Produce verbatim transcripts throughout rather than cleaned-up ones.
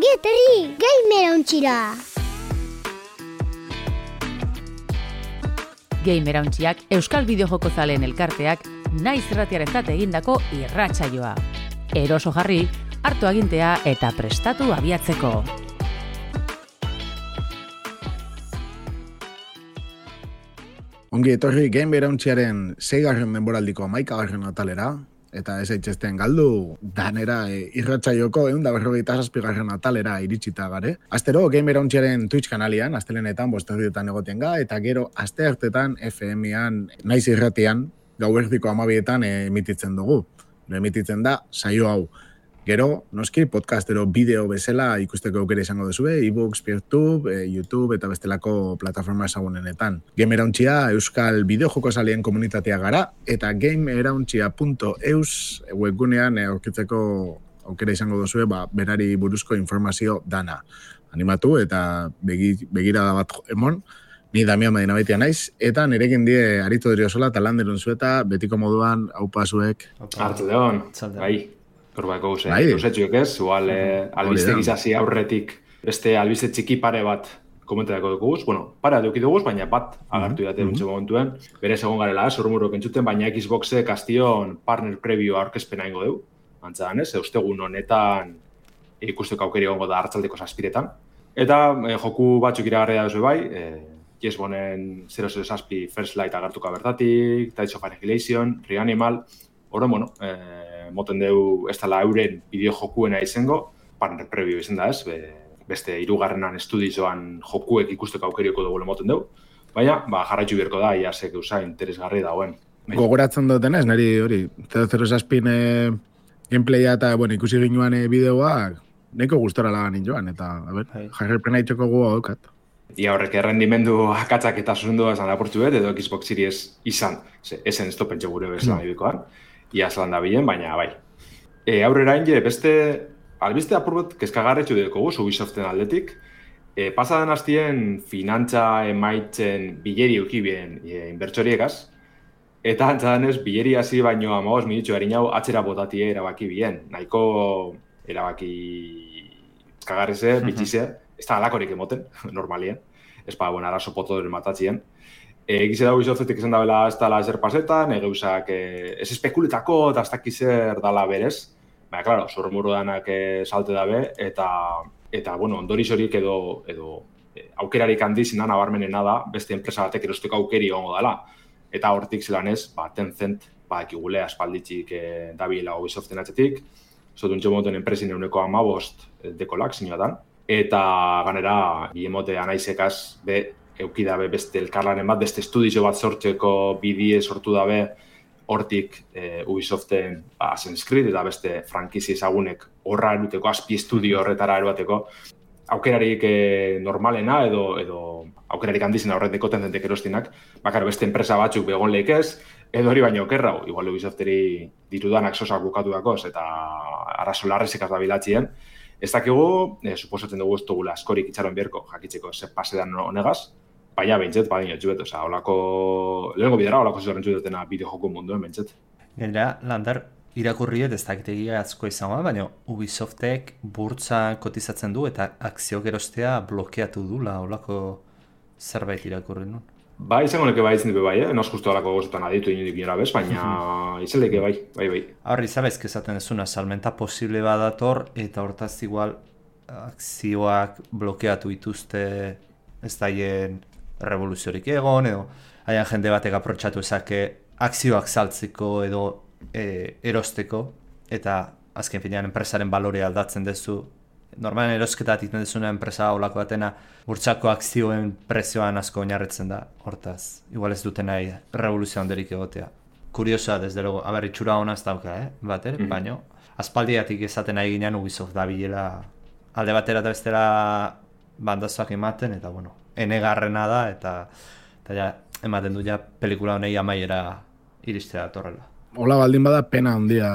Ongi etorri, Gamer Ontxira! Gamer Ontxiak Euskal Bideojoko zaleen elkarteak naiz irratiarentzat egindako irratsaioa. Eroso jarri, hartu agintea eta prestatu abiatzeko. Ongi etorri Gamer Ontxiaren seigarren denboraldiko hamaikagarren atalera, eta ez eitzesten galdu danera e, irratsaioko ehun eta berrogeita zazpigarren atalera iritsita gare. Astero Gamer Ontxiaren Twitch kanalian, astelenetan bosterdietan egoten ga, eta gero asteartetan F M-an naiz irratian gauerdiko hamabietan emititzen dugu. Emititzen da saio hau. Gero, noski, podcastero bideo bezala ikusteko aukera izango duzue, e-books, PeerTube, e, YouTube eta bestelako plataforma ezagunenetan. Gamer Ontxia Euskal Bideojoko zaleen komunitatea gara, eta gamerontxia punto eus webgunean aurkitzeko aukera izango duzue, ba, berari buruzko informazio dana. Animatu eta begi, begirada bat emon, ni Damian Madinabaitia naiz, eta nirekin die Arito Deriosola eta Landerun zueta, betiko moduan, haupa zuek. Hartu deon, bai. Korbako guze, bai. Usetxuek ez, igual eh, albiste gizasi aurretik beste albiste txiki pare bat komentarako dukuguz. Bueno, pare duki duguz, baina bat agartu date mm-hmm. Untxe momentuen. Bere segon garela, zurmurok entzuten, baina Xboxek astion partner preview aurkezpena ingo du. Antzadan ez, eustegun honetan ikusteko aukeri gongo da hartzaldeko zazpiretan. Eta eh, joku batzuk iragarria duzu bai, eh, Jesbonen zero zero zazpi First Light agartuka bertatik, Tides of Annihilation, Reanimal, horren, bueno, eh, moten deu ez dela euren bideo-jokuena izango, partner preview izan da ez, be, beste hirugarrenan estudizoan jokuek ikusteko aukerioko dugu moten deu, baina ba, jarraitzu birko da, ia zek eusa interesgarri dagoen. Gogoratzen duten ez, niri hori, zero zero zazpin eh, gameplaya eta bueno, ikusi ginuan eh, bideoak, neko gustora lagan joan, eta a ber, jarripena itxoko gu haukat. Ia horrek errendimendu akatzak eta zuzendua esan lapurtu bet, edo Xbox Series izan, ze, esen ez topentxe gure bezala ibikoan. Ia zelan da bilen, baina bai. E, aurrera inge, beste albiste apurbet kezkagarretxu dugu Ubisoften aldetik. E, pasadan hastien finantza emaitzen bileri eukibien e, inbertsoriekaz. Eta antzadanez, bileri hasi baino amagos minutxo harinau atzera botatie erabaki bien. Nahiko erabaki kezkagarrize, bitxize, ez da alakorik emoten, normalien. Ez pa, bueno, arazo potodoren matatzien. Egize da Ubisoftetik esan dabela ez dala ezer pasetan, egeuzak e, ez espekuletako eta ez dakizer dala berez. Baina, klaro, zormuru danak e, salte dabe, eta, eta bueno, ondoriz horiek edo, edo e, aukerarik handizinan abarmenena da, beste enpresa batek erosteko aukeri ongo dela. Eta hortik zelan ez, ba, Tencent, ba, ekigule aspalditxik e, dabiela Ubisoften atzetik, zotun txomoten enpresin euneko amabost dekolak ziniotan, eta ganera, biemote anaizekaz, be, eukidabe beste elkarlanen bat, beste estudio bat sortzeko bidie sortu dabe hortik e, Ubisoften ba, Assassin's Creed eta beste frankizi ezagunek horra eruteko, azpi estudio horretara eruateko aukerarik e, normalena edo, edo aukerarik handizena horreteko Tencentek erostinak, bakar beste enpresa batzuk begon lehikez, edo hori baino okerrau, igual Ubisofteri ditudanak sosak bukatu dakoz eta arazo larrizikaz da bilatzien. Ez dakigu, e, suposatzen dugu ez dugula askorik itxaron bierko, jakitzeko ze pasedan honegaz, baina behintzet, badin jotxubet, oza, holako, lehenko bidera, holako zuzaren dutena bideo-joko munduen behintzet. Gainera, Lander, irakurriet ez dakitegia atzko izango, baina Ubisoftek burtsa kotizatzen du eta akziok erostea blokeatu dula, holako zerbait irakurri nun. Ba, izango neke bai izan dugu bai, eh? Noz justu holako gozotan aditu inundik inora bez, baina izan leke bai, bai, bai. Horri, zabezk esaten ezuna, salmenta posible badator, eta hortaz igual akzioak blokeatu ituzte ez daien revoluziorik egon, edo haien jende batek aprotxatu ezake akzioak saltzeko edo e, erosteko, eta azken finean enpresaren balore aldatzen dezu. Normalen erosketa egiten dezuna enpresa olako batena burtsako akzioen prezioan asko oinarritzen da, hortaz. Igual ez duten nahi revoluzio handerik egotea. Kuriosa, desde luego, haber, itxura hona ez dauka, eh? Bater, mm-hmm. Baina, aspaldiatik esaten nahi ginen Ubisoft da bilela alde batera eta bestera bandazoak ematen, eta bueno, enegarrena da, eta, eta ja, ematen du ja pelikula honei amaiera iristea datorrela. Hola baldin bada pena handia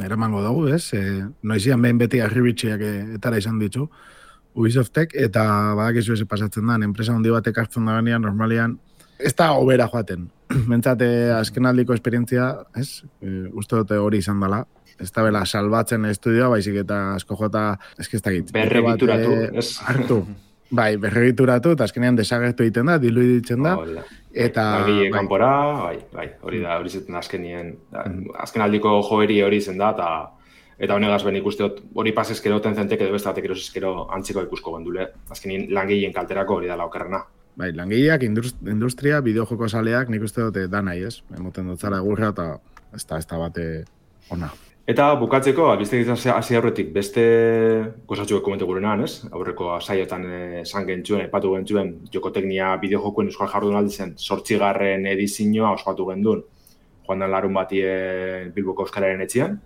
eramango dugu, ez? E, noizian behin beti arribitxiak etara izan ditu Ubisoftek, eta badakizu ez pasatzen da, enpresa handi batek hartzen da ganean, normalian, ez da obera joaten. Mentzate azkenaldiko esperientzia, ez? E, uste dute hori izan dela. ez da bela salbatzen estudioa, baizik eta asko jota, eski ez dakit. Berregituratu, ez? Hartu. Bai, berregituratu, eta azkenean desagertu egiten da, diluiditzen da. Hola. Eta... Bai, kanpora, bai, bai, hori da, hori zeten azkenien, azken aldiko joeri hori zen da, eta eta honegaz ben ikusteot, hori pasezkero tenzenteke edo beste batek erosizkero antziko ikusko gendule. Azkenien langilleen kalterako hori da laukerrena. Bai, langileak, industria, bideojoko saleak, nik uste dute da nahi, ez? Emoten dutzara egurra eta ez da, ez da bate ona. Eta bukatzeko, albiztek izan hasi aurretik beste gozatxuek komente gurenan, ez? Aurreko saiotan esan gentzuen, aipatu gentzuen, jokoteknia bideojokoen euskal jardunaldi zen zortzigarren edizioa ospatu gendun, joan dan larun batien Bilboko Euskararen etxean.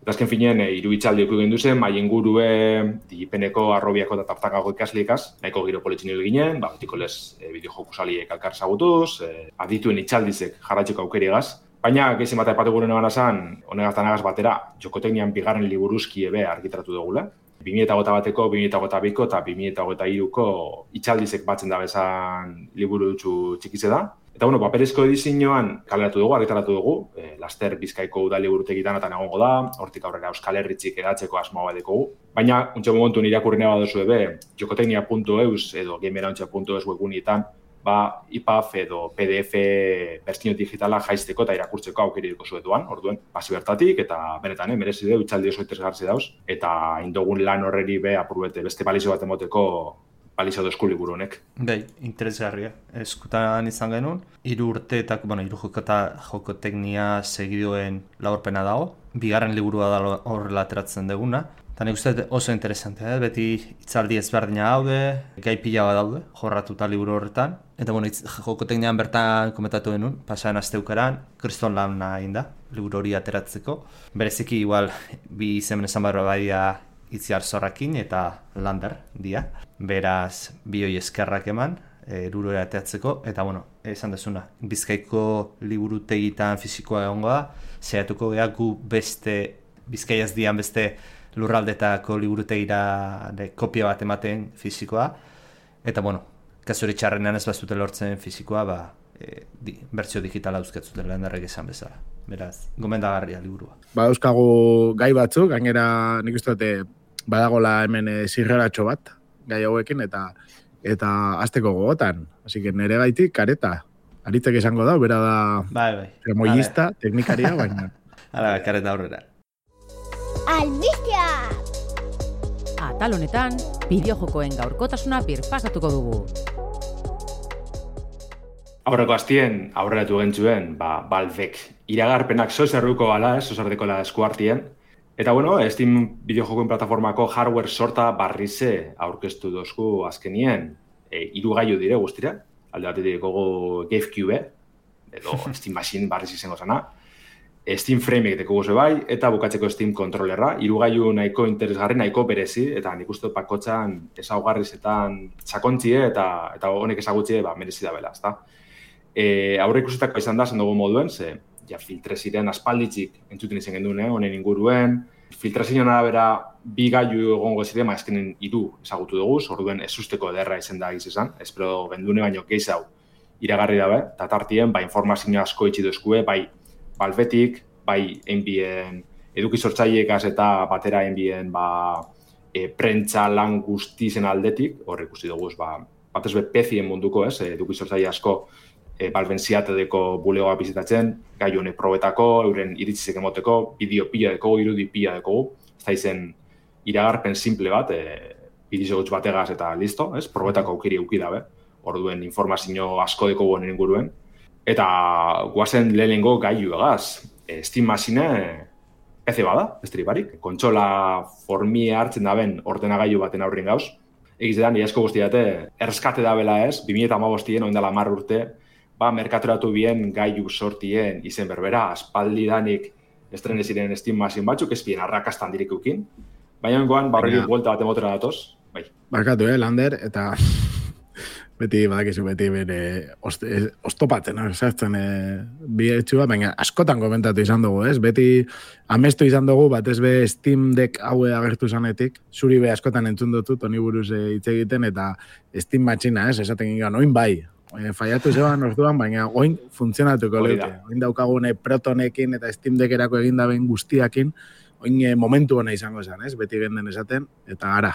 Eta azken finean, e, hiru hitzaldi ekuik gendu zen, mai ingurue, digipeneko, arrobiako eta tartakako ikaslikaz, nahiko giro politxin hil ginen, ba, betiko lez e, bideojoku saliek alkar zagutuz, e, adituen hitzaldizek jarratxeko aukeriagaz. Baina, gehizien bat aipatu gure negana zan, honegaz danagaz batera, jokoteknian bigarren liburuzki ebe argitaratu dugula. bi mila hogeita bateko, bi mila hogeita biko eta bi mila hogeita hiruko hitzaldizek batzen da bezan liburu dutxu txikize da. Eta, bueno, paperezko edizioan kaleratu dugu, argitaratu dugu, e, laster Bizkaiko udali burutegitan eta egongo da, hortik aurrera Euskal Herritzik edatzeko asmoa badekogu. Baina, untxe momentu irakurri nahi baduzu ebe, jokoteknia puntu eus edo gamerauntxe puntu eus webgunietan, ba, I P A F edo P D F bertsio digitala jaisteko eta irakurtzeko aukeri duko zuetuan, orduen, pasi bertatik, eta benetan, eh, merezi du, itzaldi oso interesgarri dauz, eta indogun lan horreri be apurbete beste balizio bat emoteko balizio dozku liburu honek. Bai, interesgarria. Eskutan izan genuen, hiru urteetak, bueno, hiru jokota jokoteknia segidoen laurpena dago, bigarren liburua da horrela ateratzen duguna, eta nik uste oso interesantea, eh? Beti itzaldi ezberdina daude, gai pila bat daude, jorratuta liburu horretan. Eta bueno, jokoteknian bertan komentatu genuen, pasaren asteukaran, kriston lan egin da, liburu hori ateratzeko. Bereziki igual, bi izemen esan barra badia Itziar Zorrakin eta Lander dia. Beraz, bi hoi eskerrak eman, erurora ateratzeko, eta bueno, esan dezuna, Bizkaiko liburutegitan fisikoa egongo da, zehatuko geha gu beste, Bizkaiaz dian beste lurraldetako liburutegira kopia bat ematen fisikoa, eta bueno, kasuri txarrenean ez bazute lortzen fisikoa, ba, e, di, bertsio digitala euskatzuten Landerrek esan bezala. Beraz, gomendagarria liburua. Ba, euskagu gai batzuk, gainera nik uste dute badagola hemen e, zirreratxo bat, gai hauekin, eta eta azteko gogotan. Así que nere gaitik, kareta. Aritzek esango da, bera da bai, bai. Tremoyista, teknikaria, baina. Hala, kareta aurrera. Albistea! Atal honetan, bideojokoen gaurkotasuna birpasatuko dugu. Aurreko astien, aurreratu gentzuen, ba, Valvek iragarpenak sozerruko gala, ez, sozerdekola eskuartien. Eta, bueno, Steam bideojokoen plataformako hardware sorta barrize aurkeztu dozku azkenien, e, hiru gailu dire guztira, alde batetik gogo GameCube, edo Steam Machine barriz izango zana, Steam Frame deko gozo bai, eta bukatzeko Steam Controllerra, hiru gailu nahiko interesgarri, nahiko berezi, eta nik uste pakotxan ezaugarrizetan sakontzie eta eta honek ezagutzie ba, merezi da bela, ezta? E, aurre ikusetako izan da, zen dugu moduen, ze ja, filtreziren aspalditzik entzuten izan genduen, eh, honen inguruen. Filtrazioan arabera bi gailu egongo ziren, ma ezkenen hiru ezagutu dugu, orduen ez usteko ederra izan da egiz esan, espero bendune baino geiz hau iragarri dabe, eta tartien, ba, informazio asko itxi dozkue, bai Valvetik, bai enbien eduki sortzaileekaz eta batera enbien ba, e, prentza lan guztizen aldetik, hor ikusi dugu, ba, batez be pezien munduko, ez, eduki sortzaile asko e, Valven ziatedeko bulegoa bizitatzen, gai honek probetako, euren iritzizek emoteko, bideo pila dekogu, irudi pila dekogu, ez da izen iragarpen simple bat, e, bideo gutx bategaz eta listo, ez, probetako aukeri euki dabe, orduen informazio asko dekogu honen inguruen, eta guazen lehenengo gailu egaz, e, Steam Machine P C bada, besterik barik, kontsola formia hartzen daben ordenagailu baten aurrin gauz, egiz edan, iasko guztiate, erskate dabela ez, bi mila hamabostien oindala hamar urte, ba, merkaturatu bien gailu sortien izen berbera, aspaldi danik estrene ziren Steam Machine batzuk, ez bien arrakastan dirikukin, baina ongoan, barrelik buelta bat emotera datoz, bai. Barkatu, eh, Lander, eta beti, badakizu, beti bere oztopatzen, sartzen e, bi etxua, baina askotan komentatu izan dugu, ez? Beti amestu izan dugu, bat ez be Steam Deck haue agertu zanetik, zuri be askotan entzun dutut, honi buruz hitz egiten, eta Steam Machine, ez? Esaten gingan, oin bai, E, faiatu zeban orduan, baina oin funtzionatuko leuke. Oin daukagune protonekin eta Steam Deckerako egindaben guztiakin, oin e, momentu hona izango zen, ez? Beti genden esaten, eta ara.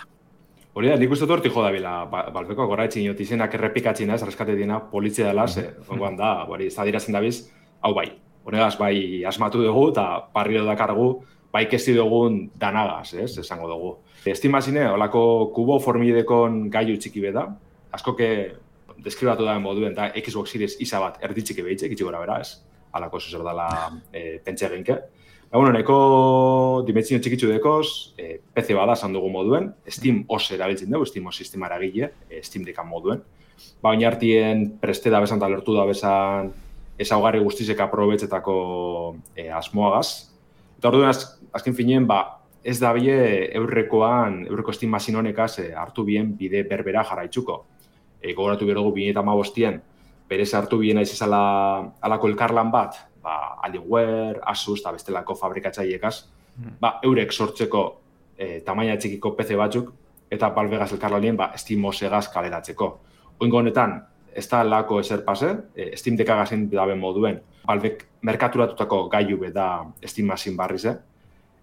Hori da, nik uste dut horti joda bila, balpeko goraetxin jot izenak errepikatzen ez, reskate dina, polizia dela, ze, ongoan da, hori, ez da dirazen dabiz, hau bai, honegaz bai asmatu dugu, eta parriro dakargu, bai kesti dugun danagaz, ez, esango dugu. Estimazine, holako kubo formidekon gaiu txiki beda, askoke deskribatu da moduen, da Xbox Series isa bat erditxiki behitxe, itxi gora bera, ez, alako zuzer dela e, pentsa eginke. Ba, bueno, neko dimentsio txikitzu dekoz, e, P C bada esan dugu moduen, Steam O S erabiltzen dugu, Steam O S sistema eragile, e, Steam Deckan moduen. Ba, baina hartien preste da bezan eta lertu da bezan ezaugarri guztizek aprobetzetako e, asmoagaz. Eta orduan, az, azken finien, ba, ez da bie eurrekoan, eurreko Steam Machine honekaz e, hartu bien bide berbera jarraitzuko. E, gogoratu behar dugu, bine eta hamabostien, berez hartu bien aiz ezala alako elkarlan bat, ba, Alienware, Asus eta bestelako fabrikatzaileekaz, ba, eurek sortzeko e, tamaina txikiko P C batzuk, eta Valvegaz elkarlanien ba, Steam O S-egaz kaleratzeko. Oingo honetan, ez da lako eser pase, e, Steam Deckagazin daben moduen, Valvek merkaturatutako gaiu beda Steam Machine barriz, eh?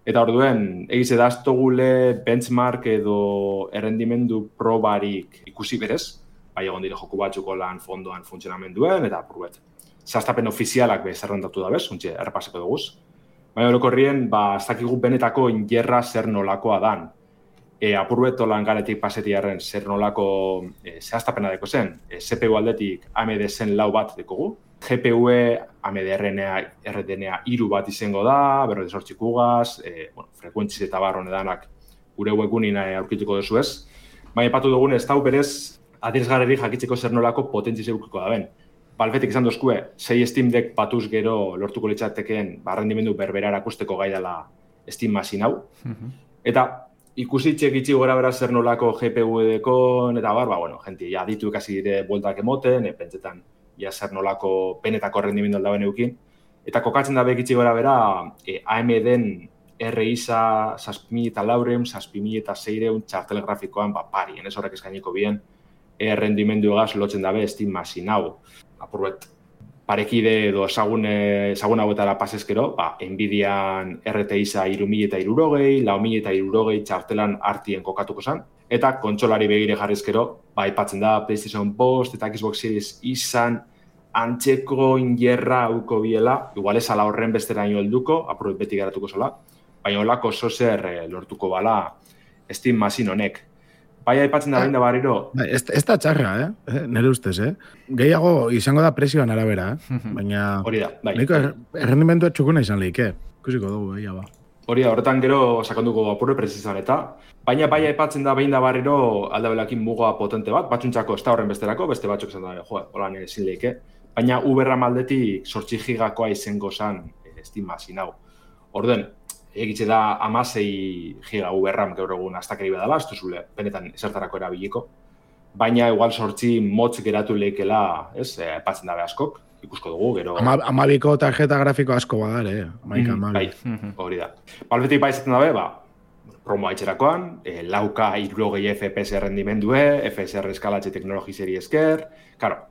Eta orduen, egize daztogule benchmark edo errendimendu probarik ikusi berez, bai egon dire joku batzuko lan fondoan funtzionamenduen, eta apurbet. Zaztapen ofizialak be zerrendatu da bez, untxe, errepaseko duguz. Baina orokorrien, ba, ez dakigu benetako ingerra zer nolakoa dan. E, apurbet olan garetik pasetiarren zer nolako e, zehaztapena deko zen. E, C P U aldetik A M D zen lau bat dekogu. G P U E, A M D R D N A iru bat izango da, berro desortzikugaz, e, bueno, frekuentziz eta barron edanak gure webgunin aurkituko duzu ez. Baina epatu dugun ez dau berez, adierazgarri jakitzeko zer nolako potentziz eukiko da ben. Valvetik izan dozkue, sei Steam Deck batuz gero lortuko litzatekeen barrendimendu berbera erakusteko gai dela Steam Machine hau. Mm-hmm. Eta ikusitxek itxi gora bera zer nolako G P U edekon, eta bar, ba, bueno, gente, ja, ditu ikasi dire bueltak emoten, e, pentsetan, ja, zer nolako benetako rendimendu aldaben eukin. Eta kokatzen da bekitxi gora bera, e, A M D-en R I S A zazpi mila eta laureun, zazpi mila eta seireun txartel grafikoan, ba, parien, ez horrek eskainiko bien, e, rendimendu egaz lotzen dabe Steam Machine hau. Apurbet, parekide edo ezagun, ezagun hauetara pasezkero, ba, Nvidian R T X hiru mila eta hirurogei, lau mila eta hirurogei txartelan artien kokatuko zen, eta kontsolari begire jarrizkero, ba, aipatzen da PlayStation bost eta Xbox Series izan antzeko ingerra hauko biela, igual ez ala horren besteraino helduko, apurbet beti garatuko zola, baina olako zozer eh, lortuko bala Steam Machine honek. Bai, aipatzen da behin da barriro. Ez, ez da txarra, eh? Nere ustez, eh? Gehiago izango da presioan arabera, eh? Baina... Hori da, bai. Nahiko errendimendu txukuna izan lehik, eh? Kusiko dugu, behia ba. Hori da, horretan gero sakonduko apurre prezizan eta. Baina bai aipatzen da behin da barriro aldabelakin mugoa potente bat, batxuntzako ez da horren besterako, beste batzuk izan da, jo, holan ezin lehik, eh? Baina Uberra maldetik sortzi gigakoa izango zan Steam Machine hau. Orden, egitze da amasei giga Uberram gaur egun astakeri badala, ez duzule, benetan esertarako erabiliko. Baina igual sortzi motz geratu lehikela, ez, epatzen dabe askok, ikusko dugu, gero... Ama, amabiko tarjeta grafiko asko badare, eh? Amaika, mm, amabi. Bai, hori da. Balbetik bai izaten dabe, ba, promo haitxerakoan, e, lauka hirurogei F P S rendimendue, F S R eskalatxe teknologi seri esker, karo,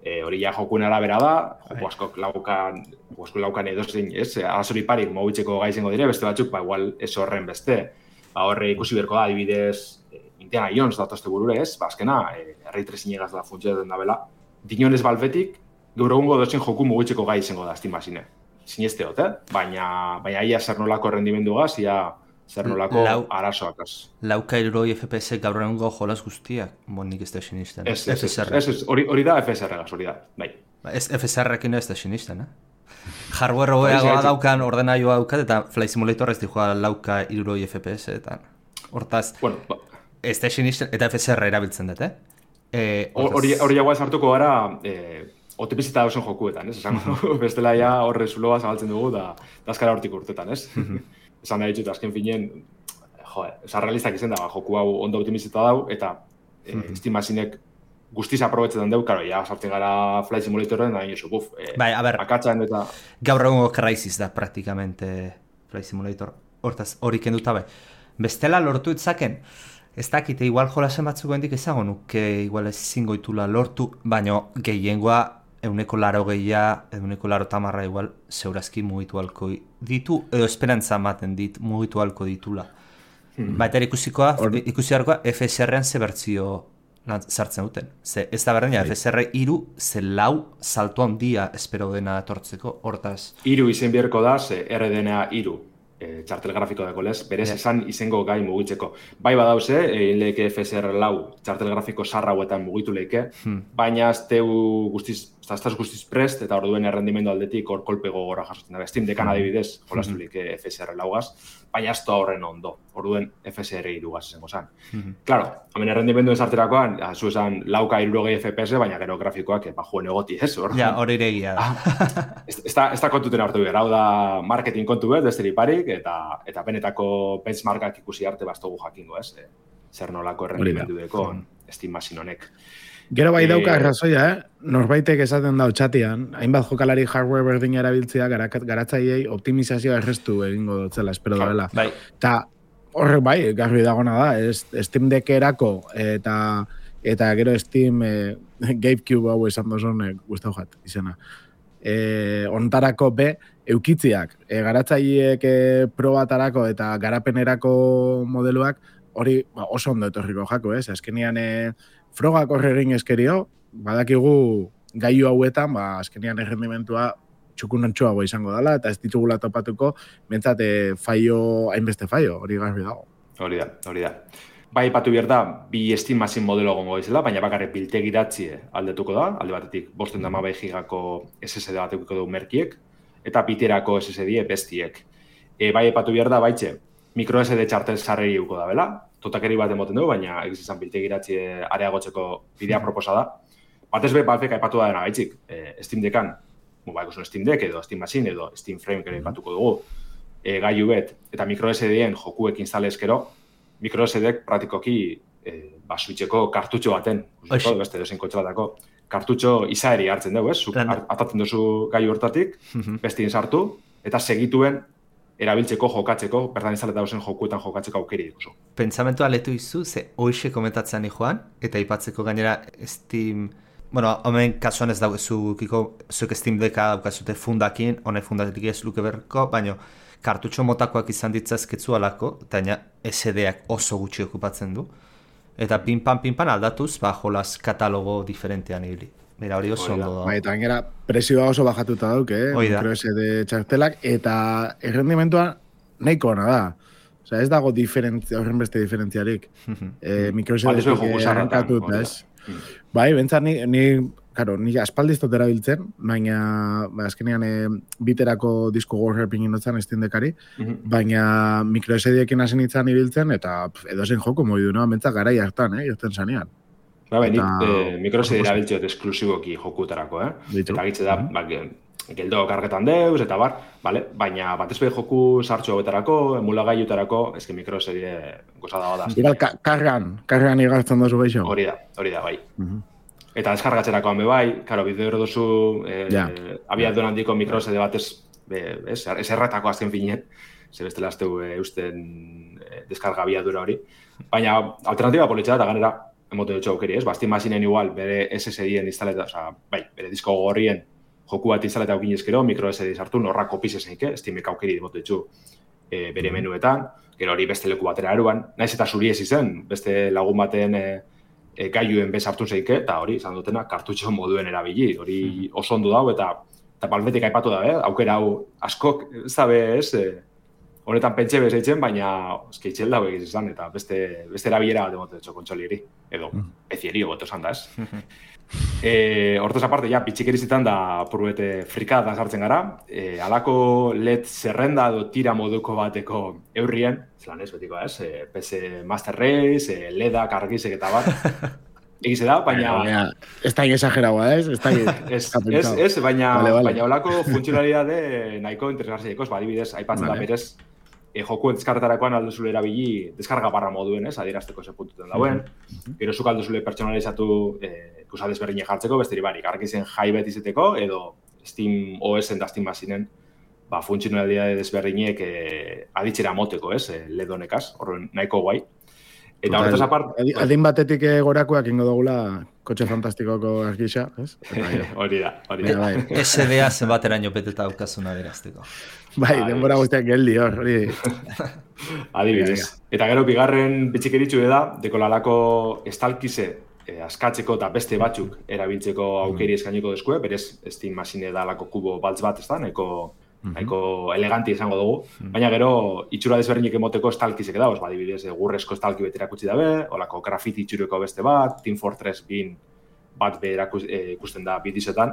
E, hori ja jokuen arabera da, joko askok laukan, joko laukan edozein, ez, arazori parik mobitzeko gaizengo dire, beste batzuk, ba, igual ez horren beste. Ba, horre ikusi berko da, adibidez, e, Indiana Jones datozte burure, ez, ba, azkena, e, Ray Tracing egaz da funtzioetan da bela. Dinionez Valvetik, gaur egungo dozen joku mobitzeko gaizengo da, Steam Machine. Sinesteot, eh? Baina, baina ia zer nolako rendimendu gaz, ia zer nolako Lau, arazoak az. Lauka hirurogei F P S gaur egungo jolas guztiak, bon nik ez da sinisten. Ez, ez, ez, hori da F S R gaz, hori da, bai. Ez F S R-ekin ez da sinisten, eh? Hardware hobeagoa daukan ordenaioa daukat, eta Flight Simulator ez dijoa lauka hirurogei F P S, eta hortaz, bueno, ba. Ez da sinisten, eta F S R erabiltzen dut, eh? Hori jagoa sartuko gara, eh, otipizita dauzen jokuetan, ez? Esango, bestela ja horre zuloa zabaltzen dugu, da dazkara hortik urtetan, ez? Esan da ditut, azken finien, jo, esan realistak izan da, joku hau ondo optimizita dau, eta e, Steam Machinek guztiz aprobetzetan deu, karo, ja, sartzen gara Flight Simulatoren, da inosu, buf, e, bai, a ber, akatzen eta... Gaur egungo Crysis da, praktikamente, Flight Simulator, hortaz, hori kenduta bai. Bestela lortu itzaken, Ez dakite, igual jolasen batzuk hendik ezago nuke, igual ezingo itula lortu, baina gehiengoa euneko laro gehia, euneko laro tamarra igual zeurazki mugitu halko ditu, edo esperantza ematen dit mugitu halko ditula. Hmm. Baita ikusikoa, Or... ikusi harkoa F S R-en ze bertzio sartzen duten. Ze ez da berdina, F S R iru, ze lau salto handia espero dena etortzeko, hortaz. Iru izen beharko da, ze R D N A iru. E, txartel grafiko dako lez, berez yeah. esan izango gai mugitzeko. Bai badauze, egin lehike F S R lau txartel grafiko sarra hauetan mugitu lehike, hmm. baina ez teu guztiz, ez guztiz prest, eta orduen errendimendu aldetik hor kolpe gogorra jasotzen da. Steam Deckan adibidez, jolastu lehike F S R laugaz, baina ez da horren ondo, orduen F S R irugaz izango zen. Hmm. Claro, hemen errendimendu esarterakoan, zu esan lauka irurogei F P S, baina gero grafikoak, ba, juen egoti, ez? Hor? Ja, hori iregia da. ez, ez, da, ez da kontuten hartu behar, hau da marketing kontu bet, besteri parik, eta eta benetako benchmarkak ikusi arte bastogu jakingo, ez? E, zer nolako errendimendu deko Steam Machine honek. Gero bai dauka errazoia, eh? Norbaitek esaten dau txatian, hainbat jokalari hardware berdina erabiltzea garatzaileei optimizazioa errestu egingo dutzela, espero dela. Bai. Ta horrek bai, garbi dagona da, ez, Steam Deckerako eta eta gero Steam eh, GameCube hau esan dozun eh, guztau jat, izena. Eh, ontarako be, eukitziak, e, garatzaileek e, probatarako eta garapenerako modeluak hori ba, oso ondo etorriko jako, ez? Azkenian e, frogak horre egin eskerio, badakigu gaiu hauetan, ba, azkenian errendimentua txukunontxoago izango dela, eta ez ditugula topatuko, bentsat e, faio, hainbeste faio, hori garbi dago. Hori da, hori da. Bai, patu behar da, bi Steam Machine modelo gongo izela, baina bakarrik biltegiratzie aldetuko da, alde batetik bosten da mabai gigako S S D batekuko du merkiek, eta biterako S S D bestiek. E, bai, epatu behar da, baitxe, micro S D txartel sarreri uko da, bela? Totakeri bat emoten dugu, baina egizizan biltegiratzie areagotzeko bidea proposa da. Batez be, balfeka epatu da dena gaitzik, e, Steam Deckan, ba, ikusun Steam Deck edo Steam Machine edo Steam Frame kere epatuko dugu, e, gaiu bet, eta micro S D-en jokuek instalezkero, micro S D-ek praktikoki e, ba, switcheko kartutxo baten, usiko, beste dozein kotxe batako, kartutxo izaeri hartzen dugu, ez? Zuk atatzen duzu gai hortatik, bestien sartu, eta segituen erabiltzeko jokatzeko, bertan instaleta dozen jokuetan jokatzeko aukeri dikuzu. Pentsamentua letu izu, ze hoxe komentatzen ni joan, eta ipatzeko gainera Steam... Bueno, homen kasuan ez daukezu zuek Steam Decka daukazute fundakin, honek fundatik ez luke berko, baina kartutxo motakoak izan ditzazketzu alako, eta S D-ak oso gutxi okupatzen du. Eta pinpan, pinpan aldatuz, ba, jolas katalogo diferentean ibili. Mira, hori oso ondo da. Bai, eta gainera, presioa oso bajatuta dauk, eh? Micro S D txartelak, eta errendimentua nahiko ona da. Osea, ez dago diferentzia, horren beste diferentziarik. eh, micro S D-tik errankatuta, ez? Bai, bentsat ni, ni, karo, ni aspaldiz tot erabiltzen, baina ba, azkenean e, biterako disko gorrer pingin dutzen Steam Deckari, mm-hmm. baina micro S D-ekin hasi nintzen ibiltzen, eta edozein joko modu noa, bentsat garai hartan, eh, joten zanean. Ba, bai, eh, micro S D erabiltzeot esklusiboki jokutarako, eh? Ditu. Eta gitze da, ba, geldo kargetan deuz, eta bar, vale? Baina batez behi joku sartxo hauetarako, emulagaiutarako, ezke micro S D gozada da. Igual, kargan, kargan igartzen dozu beixo. Hori da, hori da, bai. Uh-huh. Eta deskargatzerakoan be bai, karo, bideo dozu, eh, ja. abiadun handiko micro S D batez, be, ez, ez erratako azken finien, ze bestela azteu e, eusten e, deskarga abiadura hori. Baina alternatiba politxea da, ganera, emoten dutxo aukeri, ez? Ba, Steam Machine-en igual, bere S S D-en instaleta, oza, bai, bere disko gorrien joku bat instaleta aukin ezkero, micro S D sartu, norra kopiz ezeike, Steam-ek aukeri emoten dutxu e, bere menuetan, gero hori beste leku batera eruan, naiz eta zuri ez izen, beste lagun baten e, e, gaiuen bez hartu zeike, eta hori, izan dutena, kartutxo moduen erabili, hori oso ondo dau, eta, eta balbetik aipatu da, eh? Aukera hau askok, zabe ez, e, honetan pentxe bezaitzen, baina eski itxel dago egiz izan, eta beste, beste erabilera bat emoten dutxo kontsolieri, edo ezieri goto esan da ez. E, hortaz aparte, ja, pitxikerizitan da purbete frikada sartzen gara, e, alako L E D zerrenda edo tira moduko bateko eurrien, zelan ez betiko ez, e, P C Master Race, e, L E D-ak argizek eta bat, egize da, baina... Ez da exageragoa, ez? Ez, ez, ez, baina, vale, vale. baina olako funtzionalidade nahiko interesgarziekos, ba, adibidez, aipatzen vale. da berez, e, joku deskarretarakoan alduzule erabili deskarga barra moduen, ez, adierazteko ze puntuten dauen, mm-hmm. gero zuk alduzule pertsonalizatu e, ikusa desberdine jartzeko, besteri barik, argizen jai bet izeteko, edo Steam O S-en da Steam Machine-en, ba, funtzionalidade desberdinek e, aditzera moteko, ez, e, L E D honekaz, horren nahiko guai. Eta hortaz apart... Adin batetik gorakoak ingo dugula kotxe fantastikoko argisa, ez? Hori da, hori da. S D A zenbateraino beteta daukazuna berazteko. Bai, denbora guztiak geldi hor, hori. Adibidez. Eta gero, bigarren bitxikeritxu da, dekolalako estalkize eh, askatzeko eta beste batzuk erabiltzeko aukeri eskainiko deskue, berez Steam Machine da lako kubo baltz bat, ez da, nahiko, nahiko eleganti izango dugu. Baina gero, itxura desberdinek emoteko estalkizek da, ba, adibidez, egurrezko estalki bete erakutsi dabe, olako grafiti itxureko beste bat, Team Fortress bin bat be ikusten da bidizetan.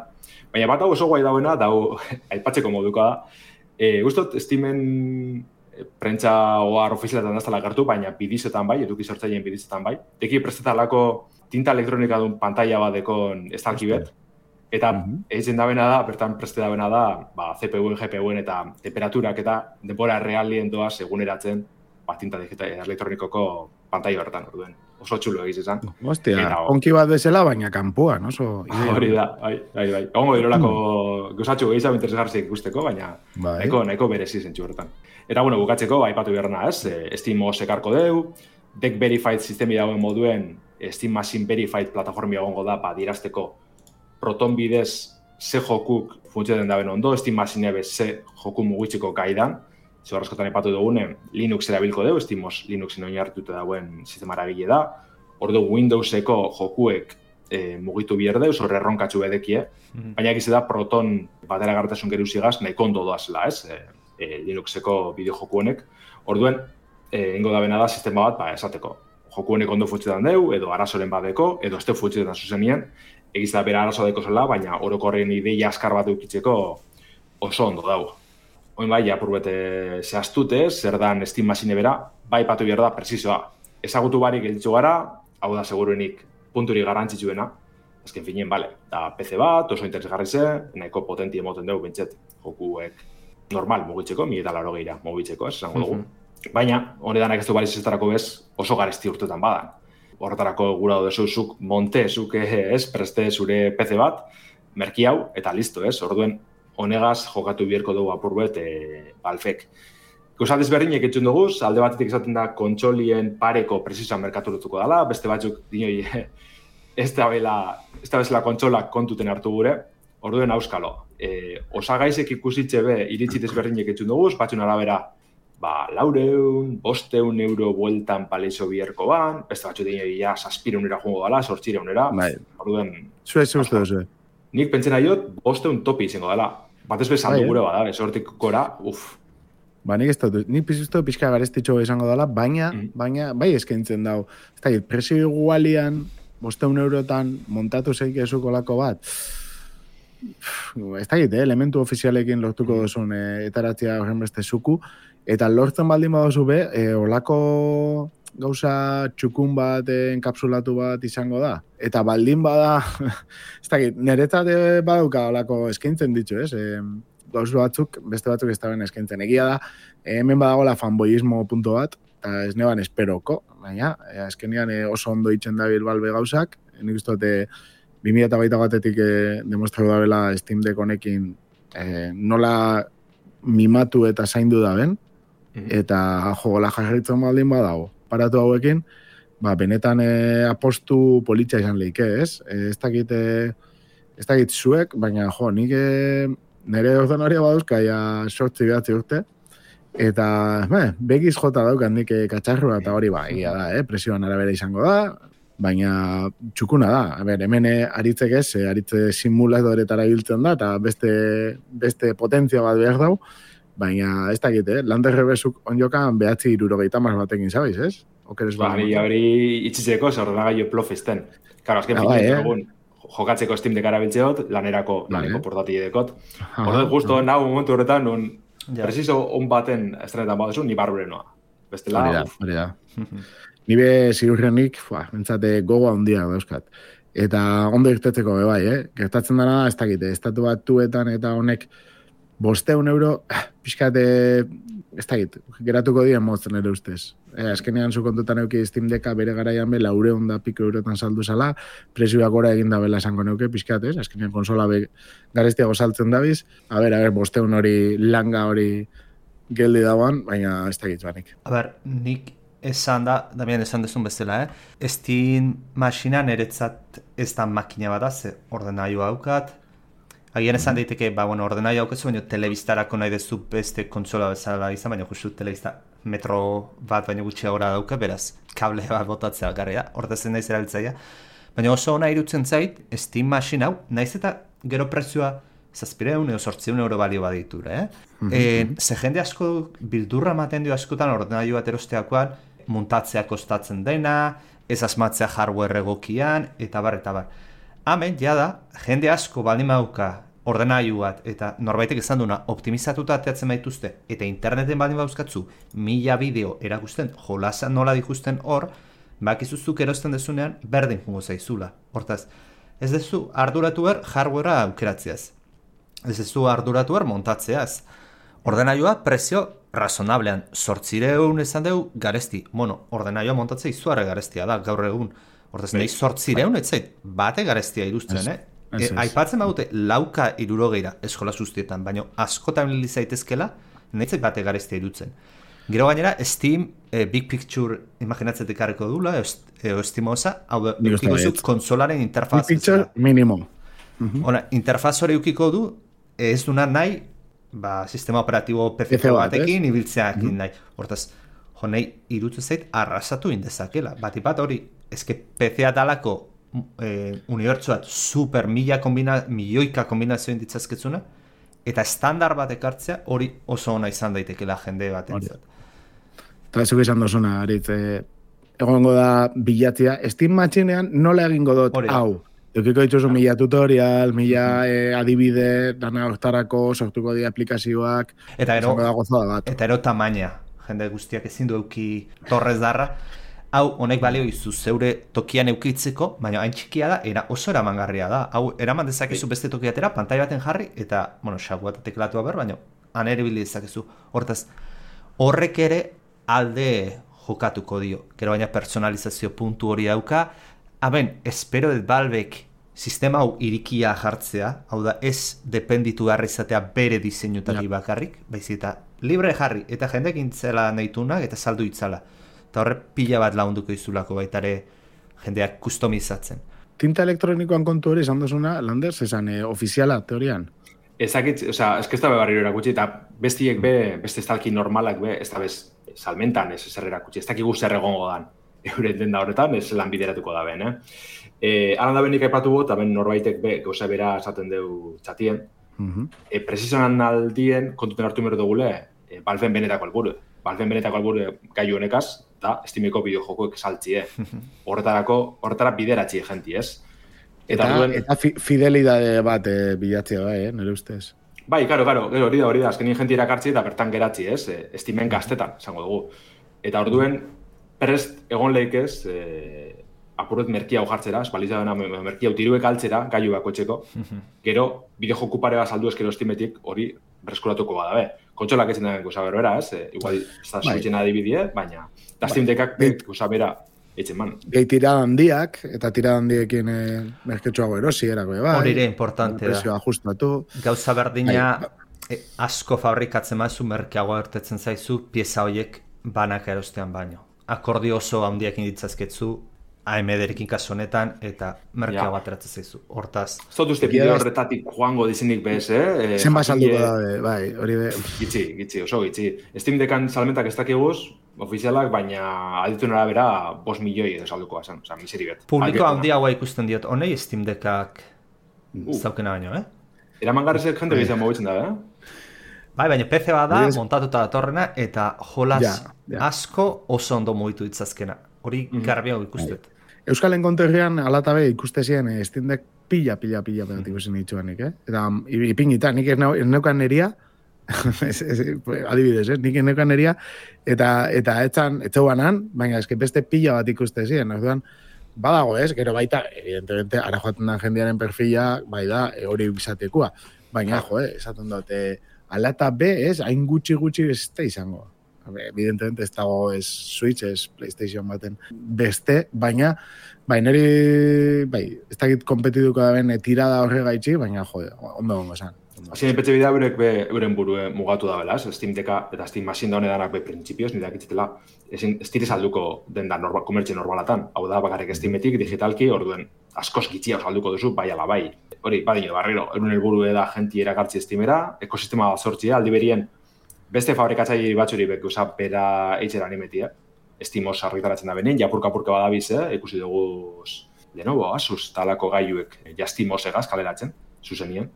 Baina bat hau oso guai dauena, dau aipatzeko moduko da. E, Gustot, Steamen prentza oar ofizialetan daztala gertu, baina bidizetan bai, eduki sortzaileen bidizetan bai. Eki prestetalako tinta elektronika duen pantalla bat dekon estalki bet. Eta egiten dabena da, bertan preste dabena da, ba, C P U-en, G P U-en eta temperaturak eta denbora realien doaz eguneratzen ba, tinta elektronikoko pantalla bertan, orduen. Oso txulo egiz esan. Hostia, onki bat bezala, baina kanpoan, oso... Hori da, bai, bai, bai. Ongo dirolako gozatxu gehiago interesgarzik ikusteko, baina nahiko, nahiko berezi zentxu horretan. Eta, bueno, bukatzeko, aipatu beharna, ez? Steam O S ekarko deu, Deck Verified sistemi dagoen moduen, Steam Machine Verified plataformia egongo da, ba, dirazteko Proton bidez ze jokuk funtzioen daben ondo, Steam Machine bez ze joku mugitzeko gaidan, ze horrezkotan epatu dugunen, Linux erabilko dugu, SteamOS Linuxin oinarrituta dauen sistema eragile da, ordu Windowseko jokuek e, mugitu bier deuz, horre erronkatxu bedekie, mm-hmm. baina egize da Proton batera gartasun geruzigaz nahiko ondo doazela, ez? E, e, Linuxeko bideo joku honek, orduen, e, ingo dabena da sistema bat, ba, esateko, joku honek ondo funtzioetan deu, edo arazoren badeko, edo este funtzioetan zuzenien, egiz da bera arazo deko zela, baina orokorren ideia askar bat eukitzeko oso ondo dago. Oin bai, apur bete zehaztute, zer dan Steam Machine bera, bai patu behar da, presizioa. Ezagutu barik gelditu gara, hau da seguruenik punturi garrantzitsuena, azken finien, bale, da P C bat, oso interesgarri ze, nahiko potenti emoten dugu bentset, jokuek normal mugitzeko, mi eta laro gehira mugitzeko, ez, esango dugu. Mm-hmm. Baina, honedanak ez du baliz eztarako bez, oso garesti urtetan badan. Horretarako gura duzu zuk monte, zuk ez, preste zure P C bat, merki hau, eta listo, ez, orduen, honegaz jokatu bierko dugu apurbet e, Valvek. Gauzat ezberdinek etxun dugu, alde batetik esaten da kontsolien pareko presizoan merkaturutuko dela, beste batzuk dinoi ez da bezala kontsolak kontuten hartu gure, orduen auskalo. E, osagaizek ikusitze be iritsi ezberdinek etxun dugu, batzun arabera, ba, laureun, bosteun euro bueltan paleixo bierko ban, beste batzuk dinoi ja saspireunera jungo dela, sortzireunera, orduen... Zue, zue, zue, zue. Nik pentsena jot, bosteun topi izango dela. Batez bezan dugure bada, esortik gora, uff. Ba, nik ez dut, nik pizuztu pixka garestitxo izango dela, baina, mm. baina, bai eskaintzen dau. Ez da, presio igualian, bosteun eurotan montatu zeik ezuko lako bat. Ez da, eh, elementu ofizialekin lortuko mm. duzun eh, etaratzea horren beste zuku, eta lortzen baldin badozu be, eh, olako gauza txukun bat, enkapsulatu bat izango da. Eta baldin bada, ez dakit, niretzat badauka olako eskaintzen ditzu, ez? E, gauz batzuk, beste batzuk ez daben eskaintzen. Egia da, hemen badagoela fanboyismo punto bat, eta ez neban esperoko, baina, azkenean oso ondo itzen dabil Valve gauzak, nik uste dute bi mila hogeita batetik demostratu dabela Steam Deck honekin e, nola mimatu eta zaindu daben, eta jogola jarritzen baldin badago. Paratu hauekin, ba, benetan e, apostu politxa izan lehike, ez? E, ez dakit, e, ez dakit zuek, baina jo, nik e, nire ordonoria baduzka, ja sortzi behatzi urte, eta be, begiz jota daukan nik e, katxarrua eta hori ba, egia da, eh? Presioan arabera izango da, baina txukuna da. A ber, hemen e, aritzek ez, e, aritze simuladoretara biltzen da, eta beste, beste potentzia bat behar dau, baina ez dakit, eh? Lander bezuk onjokan behatzi irurogeita mar batekin, sabaiz, ez? Okeres ba, hori hori itxitzeko, zorragaio plofisten. Karo, azken ah, finean, egun, eh? Jokatzeko Steam Deck arabiltzeot, lanerako, laneko vale. Portatile dekot. Horret, justo, ah, nahu momentu horretan, nun, ja. Preciso on baten estrenetan baduzu, ni barbure noa. Bestela, hori da, hori da. Nibe zirurrenik, bentsate gogoa handia dauzkat. Eta ondo irtetzeko bebai, eh? Gertatzen dara, ez dakit, estatu batuetan eta honek bosteun euro, pixkate, ez dakit, geratuko dien motzen ere ustez. E, azkenean zu kontutan euki Steam Decka bere garaian be, laureun da piko eurotan saldu zala, presioak gora egin da bela esango neuke, pixkatez, azkenean konsola be garestiago saltzen dabiz, a ber, a ber, bosteun hori langa hori geldi dauan, baina ez dakit banik. A ber, nik esan da, Damian esan dezun bezala, eh? Steam Machine niretzat ez da makina bat da, ze ordenailua daukat. Agian esan daiteke, ba, bueno, ordenailua daukazu, baina telebistarako nahi dezu beste kontsola bezala izan, baina justu telebista metro bat baina gutxiagora dauka, beraz, kable bat botatzea garri da, ordezen naiz erabiltzaia. Baina oso ona irutzen zait, Steam Machine hau, naiz eta gero prezioa zazpireun edo sortzireun euro balio baditura, eh? Mm-hmm. E, ze jende asko bildurra ematen dio askotan ordenailu bat erosteakoan, muntatzea kostatzen dena, ez asmatzea hardware egokian, eta bar, eta bar. Hemen, jada, jende asko baldin badauka ordenailu bat, eta norbaitek esan duna optimizatuta ateatzen baituzte, eta interneten baldin bauzkatzu, mila bideo erakusten, jolasa nola dikusten hor, bakizuzuk erosten dezunean, berdin jungo zaizula. Hortaz, ez dezu arduratu er hardwarea aukeratzeaz. Ez dezu arduratu er montatzeaz. Ordenailua prezio razonablean, sortzireun esan dugu garesti. Bueno, ordenailua montatzea izuarre garestia da, gaur egun. Hortaz, nahi sortzireun ez zait, bate garestia iruzten, eh? E, aipatzen badute lauka irurogeira eskola sustietan, baina askotan lili zaitezkela, nahi zait bate garestia irutzen. Gero gainera, Steam, eh, Big Picture imaginatzetik harreko dula, eo estimosa, hau da, eukiko zu konsolaren interfaz. Big Picture minimo. Uh-huh. Ona, interfaz hori eukiko du, ez duna nahi, ba, sistema operatibo P C batekin, ibiltzeakin uh-huh. nahi. Hortaz, jo nahi, irutu zait, arrasatu indezakela. Batipat hori, ezke P C dalako eh, unibertsuat super mila kombina, milioika kombinazioen ditzazketzuna, eta estandar bat ekartzea hori oso ona izan daitekela jende batentzat. Eta zuk izan dozuna, Aritz, eh, egongo da bilatzea, Steam Machinean nola egingo dut hau? Eukiko dituzu mila tutorial, mila eh, adibide, dana hortarako, sortuko di aplikazioak, eta ero, da gozada bat. Eta ero tamaina, jende guztiak ezin du euki torrez darra, hau honek balio izu zeure tokian eukitzeko, baina hain txikia da, era oso eramangarria da. Hau eraman dezakezu beste tokiatera, pantai baten jarri, eta, bueno, xagu bat teklatua ber, baina han ere bili dezakezu. Hortaz, horrek ere alde jokatuko dio. Gero baina personalizazio puntu hori dauka. Haben, espero dut Valvek sistema hau irikia jartzea, hau da ez dependitu garra izatea bere diseinutari ja. bakarrik, baizik eta libre jarri, eta jendek intzela nahitunak eta saldu itzala. Eta horre pila bat launduko izulako baitare jendeak kustomizatzen. Tinta elektronikoan kontu hori izan duzuna, Landers, esan eh, ofiziala, teorian? Ezakit, oza, ez que ez da bebarriro erakutsi, eta bestiek be, beste estalki normalak be, ez da bez salmentan ez zer erakutsi, ez dakik zer egongo dan. Euren denda horretan, ez lan bideratuko da ben, eh? Eh, Alan da benik aipatu bot, aben norbaitek be, gauza bera esaten deu txatien. Uh-huh. E, Precisionan aldien, kontuten hartu mero dugule, e, Valven benetako alburu. Valven benetako alburu gaiu honekaz, da, Steameko bideojokoek saltzie. Horretarako, horretara bideratzi jenti, ez? Eta, eta, duen... eta fi, fidelidade bat e, bilatzea, bai, eh, nire ustez. Bai, karo, karo, hori da, hori da, azkenien jenti irakartzi eta bertan geratzi, ez? E, Steamen gaztetan, esango dugu. Eta orduen, prest egon lehikez, eh, apurret merkia hau jartzera, espalizadena merkia hau tiruek altzera, gaiu bakoitzeko, gero, bideojoku pare bat saldu eskero Steametik hori breskuratuko bada, be. Kontsolak etzen dagoen goza berbera, ez? E, igual, ez da suitzen adibidie, baina, eta Steam Deckak goza bera eitzen man. Gehi tirada handiak, eta tirada handiekin e, merketxoago erosi, erako bai. Hori ere importante da. Ajustatu. Gauza berdina, e, asko fabrikatzen mazu, merkeago ertetzen zaizu, pieza horiek banak erostean baino. Akordio oso handiakin ditzazketzu, A M D-rekin kasu honetan, eta merkeago ateratzen zaizu. Hortaz. Zot uste bideo horretatik joango dizinik bez, eh? Zen basalduko da, bai, hori be. Gitzi, gitzi, oso gitzi. Steam Deckan salmentak ez dakiguz, ofizialak, baina adituen arabera bost milioi edo saldukoa zen, oza, miseri bet. Publiko handiagoa ikusten diot, honei Steam Deckak uh. zaukena baino, eh? Eraman garrezek jente gehiago mobitzen da, eh? Bai, baina P C bat da, montatuta datorrena, eta jolaz ja, ja. asko oso ondo mugitu ditzazkena. Hori mm-hmm. garbiago ikustet. Euskal Enkonterrian alatabe ikustezien eh, Steam Deck pila, pila, pila pegat ikusten ditxuanik, eh? Eta ipinita, nik ez neukan neria, adibidez, eh? Nik ez neukan neria, eta, eta etzan, etzeuanan, baina eske beste pila bat ikustezien, orduan, badago ez, gero baita, evidentemente, ara joaten da jendearen perfila, bai da, hori bizatekua, baina, jo, eh, esaten dut, eh, alata be, ez, hain gutxi gutxi ez da izango. Evidentemente ez dago ez Switch, ez PlayStation baten beste, baina baina bai, ez dakit kompetituko da ben tirada horre gaitxi, baina jode, ondo gongo esan. Azien petxe bidea eurek be, euren burue mugatu da bela, Steam Deka eta Steam Machine da honedanak be printzipioz, nire dakitzitela, ezin ez dire salduko den da normal, komertxe normalatan, hau da bakarrik Steametik, digitalki, orduen askoz gitxia salduko duzu, bai ala bai. Hori, badino, barriro, euren helburu da jenti erakartzi Steamera, ekosistema sortzia, aldi berien, beste fabrikatzaile batzuri bek usa bera eitxera animetia, Steamos argitaratzen da benen, japurka-purka badabiz, eh? Ikusi dugu Lenovo, Asus, talako gaiuek ja Steamos egaz kaleratzen, zuzenien.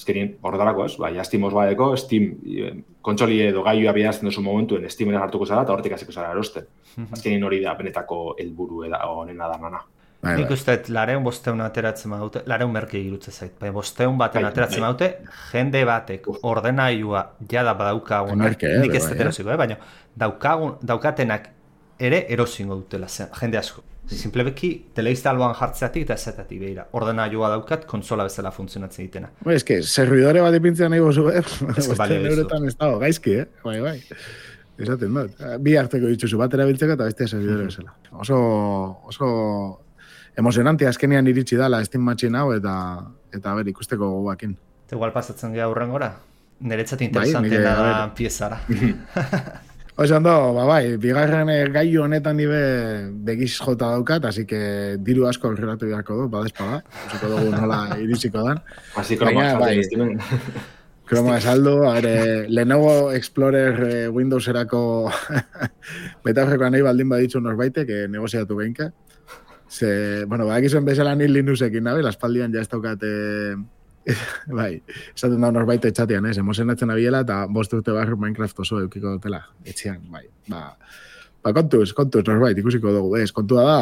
Ezkerien, horretarako ez, bai, ja Steamos badeko, Steam kontsoli edo gaiua bidazten duzu momentuen Steamera hartuko zara eta horretik hasiko zara erosten. Azkenien hori da benetako helburu eda honena da nana. Bai, nik uste, lareun bosteun ateratzen badute, lareun merke irutze zait, bai, bosteun baten bai, ateratzen badute, jende batek ordenailua jada badaukagun, nik ez dut erosiko, eh? Baina daukagun, daukatenak ere erosingo dutela zen, jende asko. Simplebeki, teleiztalboan jartzeatik eta esetatik behira. Ordenailua daukat, konsola bezala funtzionatzen ditena. Bai, eske, servidore bat ipintzen nahi bozu, eh? Bosteun eurotan ez dago, gaizki, eh? Bai, bai. Esaten dut. Bi harteko dituzu bat erabiltzeko eta beste servidore bezala. Oso, oso emozionante azkenean iritsi dala Steam Machine hau eta eta ber ikusteko gogoakin. Eta igual pasatzen geha hurrengora? Niretzat interesanteena bai, da piezara. Oso ondo, ba bai, bigarren gailu honetan dibe begiz jota daukat, así que diru asko aurreratu beharko du, badespaga. Usiko dugu nola iritsiko dan. Así kroma esaldu. Kroma esaldu, agere, Lenovo Explorer eh, Windowserako betaurrekoa nahi baldin baditzu norbaitek, que negoziatu behinke. Ze, bueno, badakizuen bezala nil Linuxekin nabil, aspaldian ja ez daukat, eh, bai, esaten da norbait etxatean, ez, emozionatzen abiela eta bost urte barru Minecraft oso eukiko dutela, etxean, bai, ba, ba kontuz, kontuz, norbait, ikusiko dugu, ez, kontua da,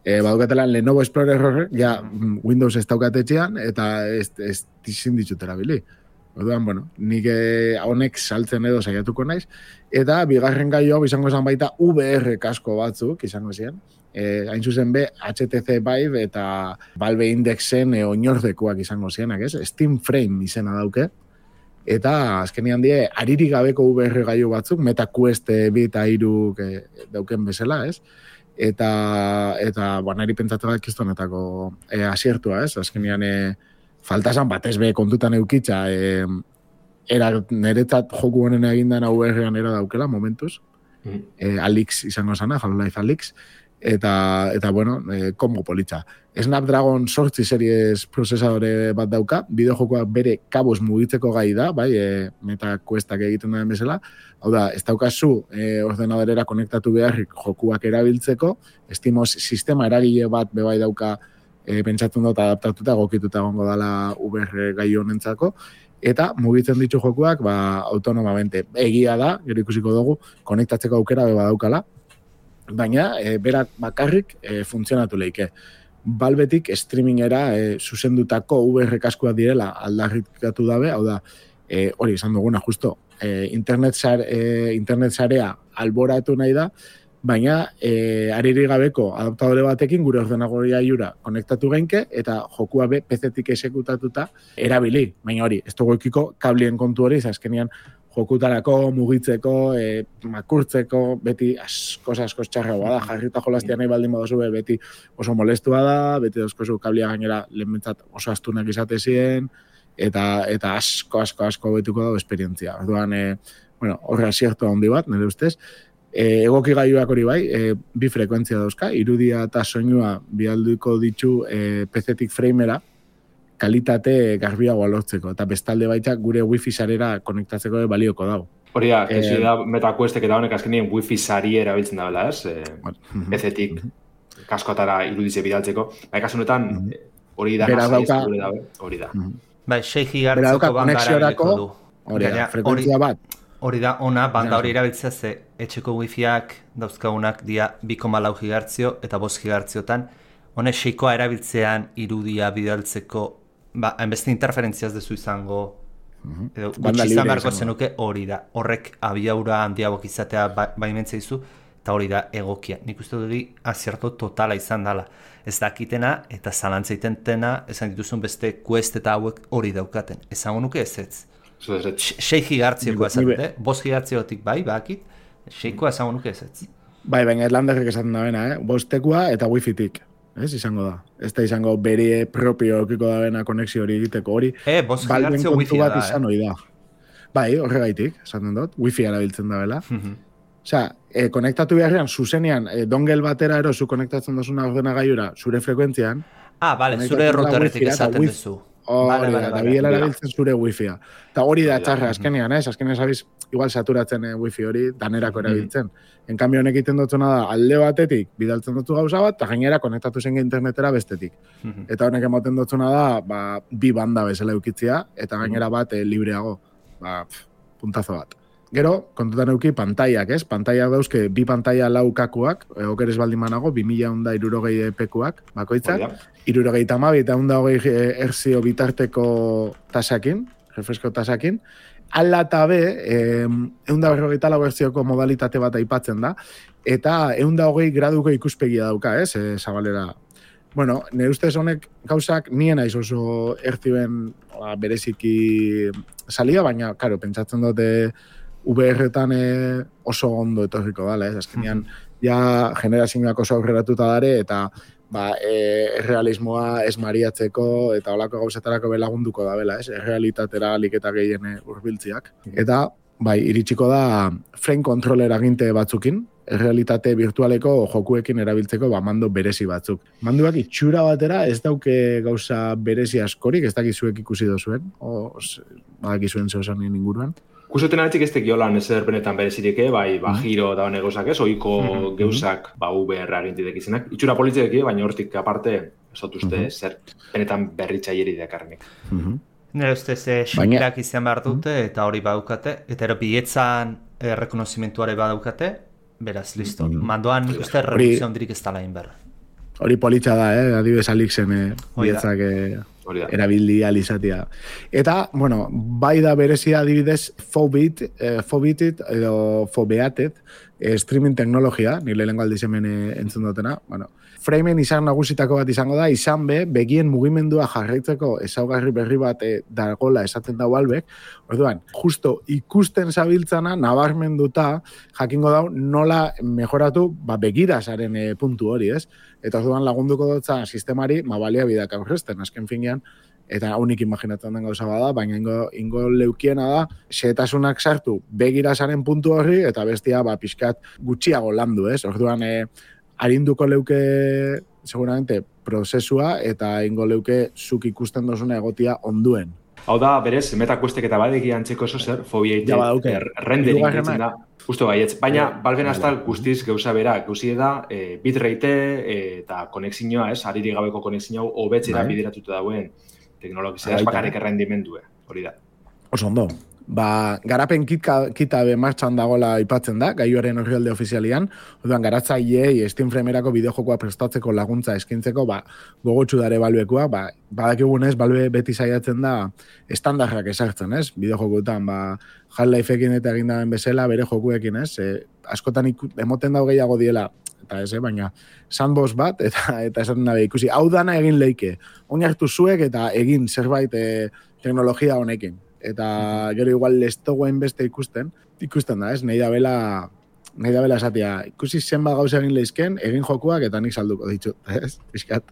eh, badukatela Lenovo Explorer horrek, ja, Windows ez daukat etxean, eta ez, ez tizin ditutera bili. Orduan, bueno, nik honek saltzen edo saiatuko naiz, eta bigarren gai hau izango zen baita V R kasko batzuk izango ziren, eh, hain zuzen be H T C Vive eta Valve Indexen e, oinordekoak izango zirenak, ez? Steam Frame izena dauke, eta azkenian die, aririk gabeko V R gaiu batzuk, Meta Quest bi eta hiruk e, dauken bezala, ez? Eta, eta bueno, eri pentsatu da kistonetako e, asiertua, ez? Azkenian, e, faltazan batez be kontutan eukitza, e, era niretzat joku honen egindan V R-an era daukela, momentuz. Mm. E, Alix izango zana, Half-Life Alix. Eta, eta bueno, e, kombo politza. Snapdragon zortzi series prozesadore bat dauka, bideojokoak bere kabuz mugitzeko gai da, bai, e, Meta Questak egiten den bezala. Hau da, ez daukazu e, ordenadorera konektatu beharrik jokuak erabiltzeko, Steamos sistema eragile bat bebai dauka e, pentsatzen dut adaptatuta, gokituta gongo dala V R gai honentzako, eta mugitzen ditu jokuak ba, autonomamente. Egia da, gero ikusiko dugu, konektatzeko aukera beba daukala, baina e, berak bakarrik e, funtzionatu leike. Balbetik streamingera e, zuzendutako V R kaskuak direla aldarrikatu dabe, hau da, e, hori esan duguna justo, e, internet, sare, e, internet sarea alboratu nahi da, baina e, ariri gabeko adaptadore batekin gure ordenagoria jura konektatu genke eta jokua be P C-tik esekutatuta erabili. Baina hori, ez dugu ekiko kablien kontu hori, azkenean jokutarako, mugitzeko, e, makurtzeko, beti asko asko txarragoa da, jarrita jolaztia nahi baldin badozu be, beti oso molestua da, beti dauzkozu kablia gainera lehenbentzat oso astunak izate ziren, eta, eta asko asko asko betuko dago esperientzia. Orduan, e, bueno, horre asiertu handi bat, nire ustez, E, egoki gaiuak hori bai, e, bi frekuentzia dauzka, irudia eta soinua bialduko ditu e, P C-tik framera, kalitate garbiagoa lortzeko, eta bestalde baita gure wifi sarera konektatzeko balioko dago. Hori da, e, da Meta Questek eta honek azkenien wifi sari erabiltzen da bela, ez? E, P C-tik kaskotara irudize bidaltzeko. Bai, kasu honetan, hori da nasa hori da. Bai, sei gigahertzeko banda erabiliko du. Hori da, frekuentzia bat. Hori da, ona, banda hori erabiltzea ze etxeko wifiak dauzkagunak dia bi koma lau gigahertzio eta bost gigahertziotan. Hone seikoa erabiltzean irudia bidaltzeko, ba, hainbeste interferentziaz dezu izango, edo gutxi izan beharko zenuke hori da. Horrek abiaura handiagok izatea baimentzea izu, eta hori da egokia. Nik uste duri azierto totala izan dela. Ez dakitena eta zalantza itentena, esan dituzun beste Quest eta hauek hori daukaten. Esango nuke ez ez. sei gigahertziokoa esaten, bost gigahertziotik bai, bakit, seikoa esango nuke ez ez. Bai, baina Erlanderrek esaten da bena, eh? Bostekoa eta wifi-tik. Ez izango da. Ez da izango bere propio okiko da bena konexio hori egiteko hori. E, bost gigahertzio wifi da, bat izan hori da. Bai, horregaitik, esaten dut, wifi erabiltzen da bela. Osea, e, konektatu beharrean, zuzenean, e, dongel batera ero, zu konektatzen dozuna ordenagailura, zure frekuentzian. Ah, bale, zure routerretik esaten duzu. Hori da, da biela erabiltzen zure wifi-a. Eta hori da txarra, azkenean, ez? Azkenean sabiz, igual saturatzen eh, wifi hori danerako erabiltzen. En cambio, honek egiten dutuna da, alde batetik, bidaltzen dutu gauza bat, eta gainera konektatu zen internetera bestetik. Eta honek ematen dutuna da, ba, bi banda bezala eukitzia, eta gainera bat eh, libreago. Ba, pf, puntazo bat. Gero, kontutan euki pantaiak, ez? Pantaiak dauzke, bi pantaia laukakuak, e, okeres baldin manago, bi mila onda irurogei pekuak, bakoitzak, irurogei tamabi eta onda hogei erzio bitarteko tasakin, refresko tasakin, ala eta be, eunda berrogeita lau erzioko modalitate bat aipatzen da, eta eunda hogei graduko ikuspegia dauka, ez? E, zabalera. Bueno, nire ustez honek gauzak nien aiz oso erzioen ba, bereziki salia, baina, karo, pentsatzen dute V R-etan eh, oso ondo etorriko dala, ez? Azkenean, ja generazioak oso aurreratuta dare, eta ba, e, errealismoa esmariatzeko eta olako gauzetarako belagunduko da bela, ez? Errealitatera liketa gehien hurbiltziak. Eta, bai, iritsiko da frame controller aginte batzukin, errealitate virtualeko jokuekin erabiltzeko ba, mando berezi batzuk. Manduak itxura batera ez dauke gauza berezi askorik, ez dakizuek ikusi dozuen, o badakizuen zehosan inguruan. Kusuten aletzik ez tekiolan ezer benetan berezirik, bai, ba, giro da negozak ez, oiko mm-hmm. geuzak, ba, V R agintitek izenak. Itxura politzek, baina hortik aparte, ez dut uste mm-hmm. zer benetan berritxaieri dekarnik. Mm-hmm. Nire ustez, xikirak izan behar dute, eta hori badukate, eta ero bietzan errekonozimentuare badaukate, beraz, listo. Mm-hmm. Mandoan nik uste revoluzio hondirik ez dala inber. Hori politxa da, eh? Adibes Alixen eh, bietzak eh, erabildi alizatia. Eta, bueno, bai da berezia adibidez Fobit, eh, Fobitit edo Fobeatet, eh, streaming teknologia, nire lehenko aldiz hemen eh, entzun dutena, bueno, framen izan nagusitako bat izango da, izan be, begien mugimendua jarraitzeko ezaugarri berri bat e, dagola esaten dago albek, orduan, justo ikusten zabiltzana, nabarmenduta, jakingo dau, nola mejoratu, ba, begirazaren e, puntu hori, ez? Eta orduan lagunduko dutza sistemari, ma balia bidak aurrezten, azken finean, eta unik imaginatzen den gauza bada, baina ingo, ingo leukiena da, xehetasunak sartu begirazaren puntu horri, eta bestia, ba, pixkat gutxiago landu, ez? Orduan, e, arinduko leuke, seguramente, prozesua eta ingo leuke zuk ikusten dozuna egotia onduen. Hau da, berez, metakuestek eta badeki antzeko ezo zer, fobiaite er, rendering ditzen da. Justo baietz, baina balben hasta guztiz gauza bera, gauzi da, e, bitrate e, eta konexioa, ez, hariri gabeko konexioa hobetzera bideratuta dauen teknologizia, ez bakarrik errendimendue, hori da. Oso ondo. Ba, garapen kitka, kita be martxan dagoela aipatzen da, gaioaren horrialde ofizialian, orduan garatzaileei Steam Framerako bideojokoa prestatzeko laguntza eskintzeko, ba, gogotsu dare balbekua, ba, badakigunez, balbe beti saiatzen da estandarrak esartzen, ez? Bideojokuetan, ba, Half-Lifeekin eta egindaren bezala, bere jokuekin, ez? E, askotan iku, emoten dau gehiago diela, eta ez, eh? Baina sandbox bat, eta eta esaten dabe ikusi, hau dana egin leike, oin hartu zuek eta egin zerbait e, teknologia honekin. Eta gero igual lestogoen beste ikusten, ikusten da, ez? Nahi da bela, nahi da bela esatia, ikusi zenba gauza egin lehizken, egin jokuak eta nik salduko ditut, ez? Piskat,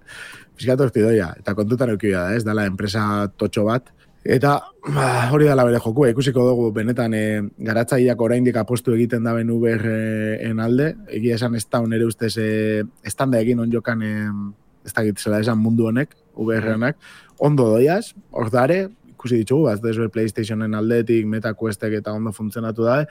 piskat horti doia, eta kontutan eukibia da, ez? Dala enpresa totxo bat. Eta ba, hori dala bere jokua, ikusiko dugu benetan e, garatzaileak oraindik apostu egiten da ben V R-en alde, egia esan ez da onere ustez e, estanda egin onjokan, e, ez da gitzela esan mundu honek, V R-enak, ondo doiaz, hor dare, ikusi ditugu, bat ez PlayStationen aldetik, MetaQuestek eta ondo funtzionatu da,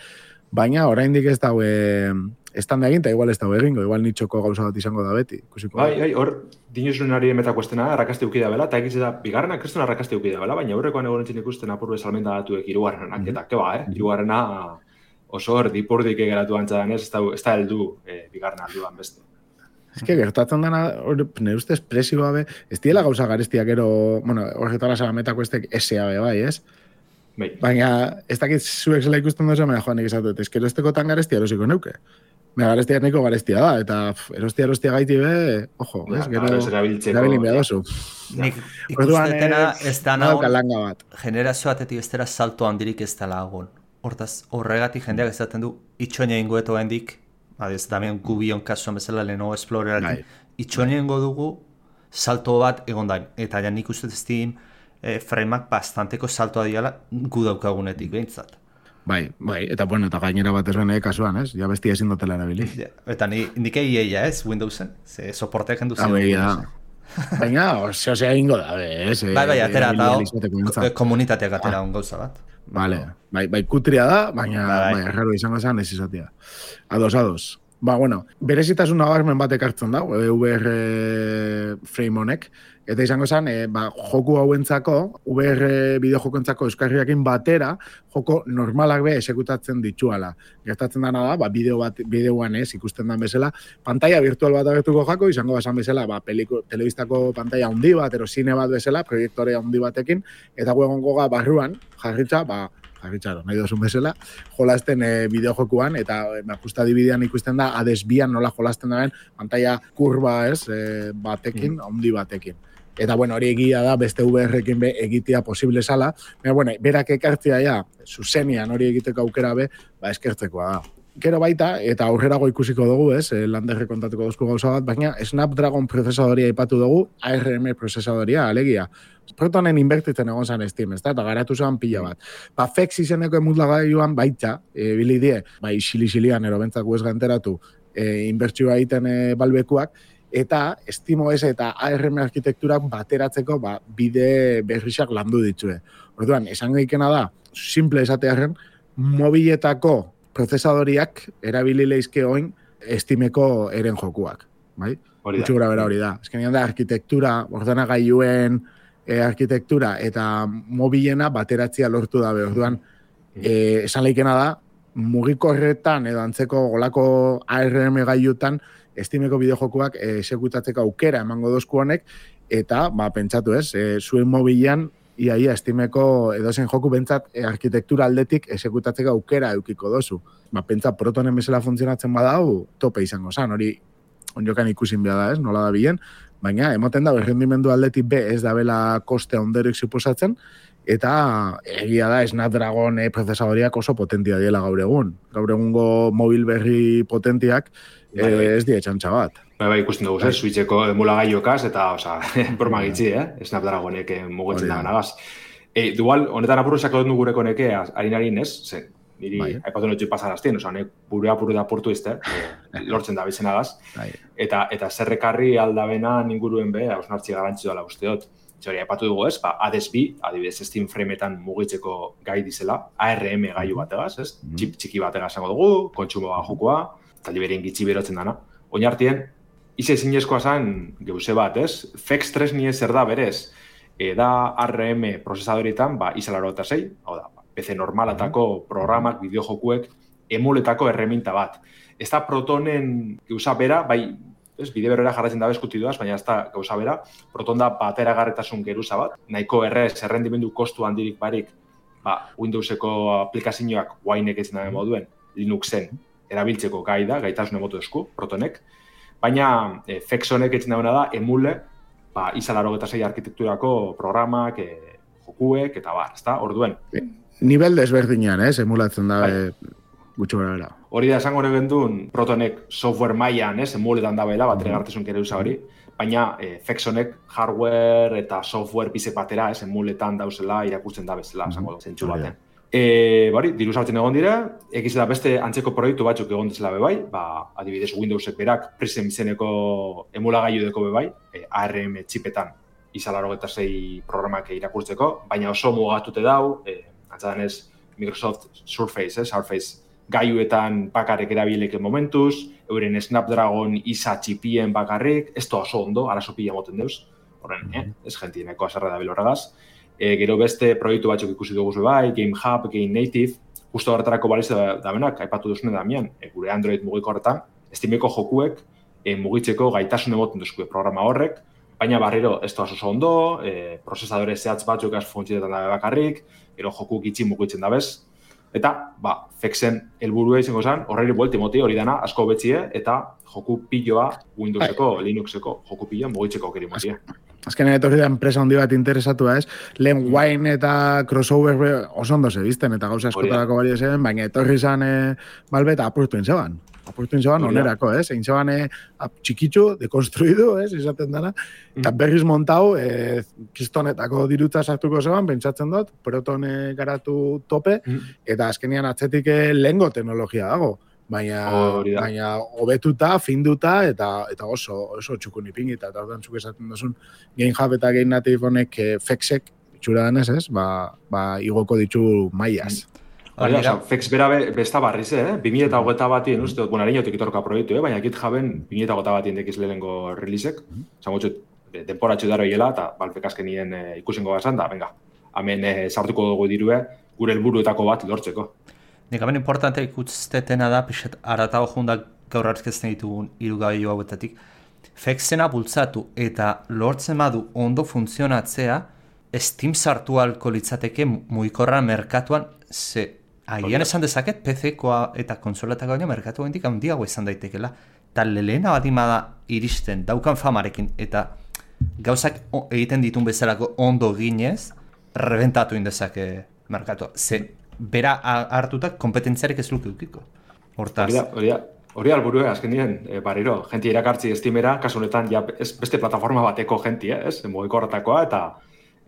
baina oraindik ez dago estanda egin, eta igual ez dago egingo, igual nitxoko gauza bat izango da beti. Ikusiko bai, bai, hor, dinuzun ari MetaQuestena, arrakaste ukida bela, eta egiz da, bigarrena kristuna arrakaste ukida bela, baina horrekoan egon entzin ikusten apurbe salmenta datuek irugarrenak, mm-hmm. eta keba, eh? Irugarrena oso hor dipurdik egeratu antzadan ez, ez da heldu eh, bigarrena alduan beste. Ez que gertatzen dena, nire ustez presio gabe, ez diela gauza garestiak ero, bueno, horretara zaga MetaQuestek S A B bai, ez? Bai. Baina, ez dakit zuek zela ikusten dozu, baina joan egizatut, ez que erosteko tan garestia erosiko neuke. Baina garestia neko garestia da, eta pff, erostia erostia gaiti be, ojo, ez? Ja, gero, erabilin behar dozu. Nik ikustetena ez da nagoen, generazio batetik ez dela salto handirik ez dela agon. Hortaz, horregatik jendeak ezaten du, itxoina ingoeto hendik, Adiz, Damian Gubion kasuan bezala Lenovo Explorerekin, itxoenengo dugu salto bat egondain. Eta ja nik uste Steam e, frameak bastanteko saltoa diala gu daukagunetik behintzat. Bai, bai, eta bueno, eta gainera bat ez bene kasuan, ez? Ja bestia ezin dutela erabili. Ja, eta ni, nik egia ez, Windowsen, ze soporteak hendu zen. Baina, baina, ose, ose, ingo da, ez? Bai, bai, atera, eta komunitateak atera un gauza bat. Vale, bai, bai, kutria da, baina, bai, erraro izango zen, ez izatea. Ados, ados. Ba, bueno, berezitasun nabarmen batek hartzen da, V R frame honek, eta izango zen, e, ba, joku hauentzako, V R bideojokoentzako euskarriakin batera, joko normalak be esekutatzen dituala. Gertatzen dana da, ba, bideo bat, bideoan ez, ikusten dan bezala, pantalla virtual bat agertuko jako, izango basan bezala, ba, peliko, telebistako pantalla handi bat, ero zine bat bezala, proiektore handi batekin, eta guegongo ga barruan, jarritza, ba, jarritxaro, nahi dozun bezala, jolasten e, bideojokuan, eta e, justa dibidean ikusten da, adesbian nola jolasten daren, pantalla kurba ez, e, batekin, mm. handi batekin. Eta, bueno, hori egia da, beste V R-ekin be egitea posible zala, baina, bueno, berak ekartzea ja, zuzenian hori egiteko aukera be, ba, eskertzekoa da. Gero baita, eta aurrerago ikusiko dugu, ez, landerre kontatuko duzko gauza bat, baina Snapdragon prozesadoria aipatu dugu, A R M prozesadoria, alegia. Protonen inbertitzen egon zan Steam, ez da, eta garatu zen pila bat. Ba, Fex izeneko emutagailuan baita, e, bili die, bai, xili-xilian, ero bentzak guez ganteratu, e, inbertsioa egiten e, balbekuak, eta SteamOS eta A R M arkitekturak bateratzeko ba, bide berrixak landu ditue. Orduan, esan gaikena da, simple esatearen, mobiletako prozesadoriak erabili leizke oin Steameko eren jokuak. Bai? Hori da. Gutxi bera hori da. Ezkenean da, arkitektura, ordenagailuen e, arkitektura eta mobilena bateratzia lortu dabe. Orduan, e, esan leikena da, mugikorretan edo antzeko golako A R M gailutan Steameko bideojokuak esekutatzeko aukera emango dozku honek, eta, ba, pentsatu ez, e, zuen mobilean iaia Steameko edozen joku bentsat e, arkitektura aldetik esekutatzeko aukera eukiko dozu. Ba, pentsa Protonen bezala funtzionatzen badau, tope izango zan, hori onjokan ikusin behar da ez, nola da bilen, baina emoten da, errendimendu aldetik be ez da bela koste onderik suposatzen, eta egia da Snapdragon e, prozesadoriak oso potentia diela gaur egun. Gaur egungo mobil berri potentiak e, ez die txantxa bat. Bai, bai, ikusten dugu, eh? Switcheko emulagailokaz, eta, oza, broma gitzi, eh? Snapdragonek mugitzen da ganagaz. E, dual, honetan apuruzako dut gureko neke, harin-harin ez, zen, niri, bai. Aipatu notxu pasaraztien, oza, honek bure apuru da portu izte, eh, lortzen da bizenagaz, bai. eta, eta zerrekarri aldabena ninguruen be, hausnartzi garantzi dola uste dut. Hori, aipatu dugu ez, ba, A D S B, adibidez Steam frameetan mugitzeko gai dizela, A R M gailu bategaz, ez? Mm. Chip txiki bategaz zango dugu, kontsumoa jokoa, eta liberien gitxi berotzen dana. Oinartien, ize zinezkoa zen, geuse bat, ez? Fex tres nie zer da berez, e, da A R M prozesadorietan, ba, izalaro eta zei, hau da, P C normalatako programak, bideojokuek, emuletako erreminta bat. Ez da Protonen geuza bera, bai, ez, bide berera jarratzen dabe eskutiduaz, baina ez da gauza bera, Proton da bateragarretasun geruza bat, nahiko errez, errendimendu kostu handirik barik, ba, Windowseko aplikazioak guainek etzen dabe moduen, Linuxen erabiltzeko gai da, gaitasun emotu esku, Protonek, baina e, Fex honek etzen dabe da, emule, ba, izalaro eta zei arkitekturako programak, e, jokuek, eta bar, ez da, orduen. Nivel desberdinean, ez, emulatzen dabe, gutxo bera. Hori da, esango horren duen, Protonek software mailan, ez, emuletan dabela, batregartezun kere usa hori, baina e, Fex honek hardware eta software bizek batera, ez, emuletan dauzela, irakurtzen da bezala, esango du, zentsu baten. E, bari, diru sartzen egon dira, egiz da beste antzeko proiektu batzuk egon dizela bebai, ba, adibidez Windowsek berak Prism izeneko emulagailu deko bebai, e, A R M txipetan izalaro eta zei programak irakurtzeko, baina oso mugatute dau, e, antzadanez Microsoft Surface, eh, Surface gaiuetan bakarrik erabileke momentuz, euren Snapdragon isa txipien bakarrik, ez da oso ondo, arazo pila moten deuz, horren, eh, ez jentieneko azarra da biloragaz. E, gero beste proiektu batzuk ikusi dugu bai, Game Hub, Game Native, justo horretarako baliz da, da benak, aipatu duzune damian, e, gure Android mugiko horretan, Steameko jokuek e, mugitzeko gaitasun emoten duzku programa horrek, baina barriro ez da oso ondo, e, prozesadore zehatz batzuk az funtzionetan dabe bakarrik, gero joku gitxi mugitzen dabez, eta, ba, Fexen helburua izango zen, horreri buelti moti hori dana asko betzie, eta joku piloa Windowseko, Linuxeko joku piloa mugitzeko keri motia. azkenean etorri da enpresa handi bat interesatua ez, lehen wine eta crossover oso ondo zebizten, eta gauza askotarako bari zen, baina etorri izan e, balbe eta apurtu intzeban. Apurtu intzeban onerako, ez? Egin zeban e, txikitzu, dekonstruidu, ez? Izaten dara. Eta berriz montau, e, kistonetako dirutza sartuko zeban, pentsatzen dut, proton e, garatu tope, eta azkenean atzetik e, lehengo teknologia dago. Baina, Oh, baina hobetuta, finduta, eta eta oso, oso txukun ipingita. Eta orduan zuk esaten duzun, Game Hub eta Game Native honek e, fexek, itxura denez, ez? Ba, ba, igoko ditu maiaz. Hori da, Fex bera be, besta barriz, eh? bi mila hogeita batien, uste, bueno, hareinotik itorka proiektu, eh? Baina GitHuben bi mila hogeita batien dekiz lehenengo releasek, zango txut, denporatxo daro hiela, eta Valvek azkenien e, ikusengo gazan, da, venga, hemen e, sartuko dugu dirue, gure helburuetako bat lortzeko. Nik hemen importantea ikusten da, pixet, aratago jundak gaur hartzkezen ditugun irugabio hauetatik, Fexena bultzatu eta lortzen badu ondo funtzionatzea, Steam sartu alko litzateke mugikorra merkatuan, ze agian esan dezaket P C-koa eta konsoletako baina merkatu gendik handiago izan daitekela, eta lehena bat imada iristen daukan famarekin, eta gauzak egiten ditun bezalako ondo ginez, rebentatu indezake merkatua. Ze bera hartutak kompetentziarik ez luke dukiko. Hortaz. Hori da, hori da. Hori alburue, azken dien, e, barriro, jenti irakartzi Steamera, kasu honetan, ja, ez, beste plataforma bateko jenti, eh, ez? Mugikorretakoa eta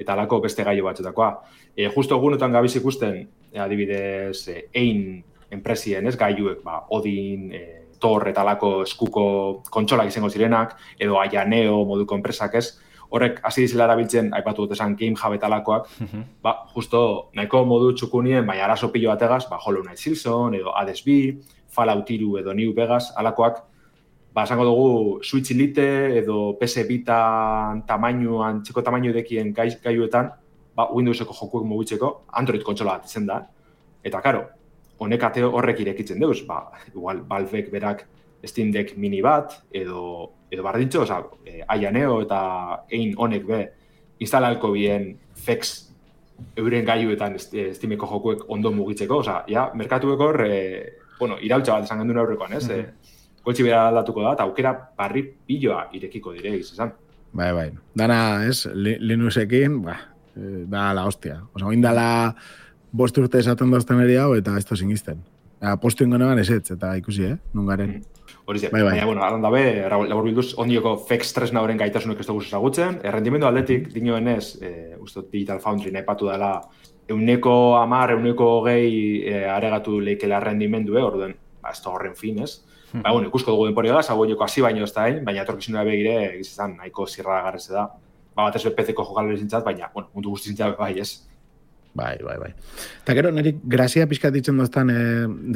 eta alako beste gaio batzutakoa. E, justo egunetan gabiz ikusten, e, adibidez, e, ein enpresien, ez? Gaiuek, ba, Odin, e, Tor eta alako eskuko kontsolak izango zirenak, edo Aianeo moduko enpresak, ez? Horrek, hasi dizela erabiltzen, aipatu dut esan, Game Hub eta alakoak, ba, justo, nahiko modu txukunien, baina arazo pilo bategaz, ba, Hollow Knight Silson, edo Hades bi, Fallout hiru edo New Vegas, alakoak, ba, esango dugu Switch Lite edo P S Vita tamainuan, txeko tamainu edekien gai, gaiuetan, ba, Windowseko jokuek mugitzeko, Android kontsola bat izen da. Eta, karo, honek ate horrek irekitzen deuz, ba, igual, Valvek berak Steam Deck mini bat, edo, edo bardintxo, oza, e, Aianeo eta ein honek be, instalalko bien Fex euren gaiuetan Steameko jokuek ondo mugitzeko, oza, ja, merkatueko hor, e, bueno, irautza bat esan gendun aurrekoan, ez? Mm-hmm. e, Koltsi bera aldatuko da, eta aukera barri piloa irekiko dire, izan. Bai, bai. Dana, ez, Linuxekin, ba, da la hostia. Osa, oindala bost urte esaten dozten eri hau, eta ez to singisten. Postu ingonean ez ez, eta ikusi, eh? Nungaren. Mm. Hori ze, bai, bai. baina, bueno, adan dabe, labur bilduz, ondioko Fex tresna horren gaitasunek ez dugu ezagutzen, errendimendu atletik, dinoenez, e, uste Digital Foundry nahi patu dela, euneko amar, euneko hogei e, aregatu leikela errendimendu, eh, orduen, ba, ez da horren fin, ez? Hmm. Ba, bueno, ikusko dugu denpori da, zagoeneko hasi baino ez da hain, baina etorkizunera begire, egizizan, nahiko zirra garreze da. Ba, bat ez be P C-ko jokalari zintzat, baina, bueno, mundu guzti zintzat bai, ez? Bai, bai, bai. Eta gero, niri grazia pixkat ditzen doztan e,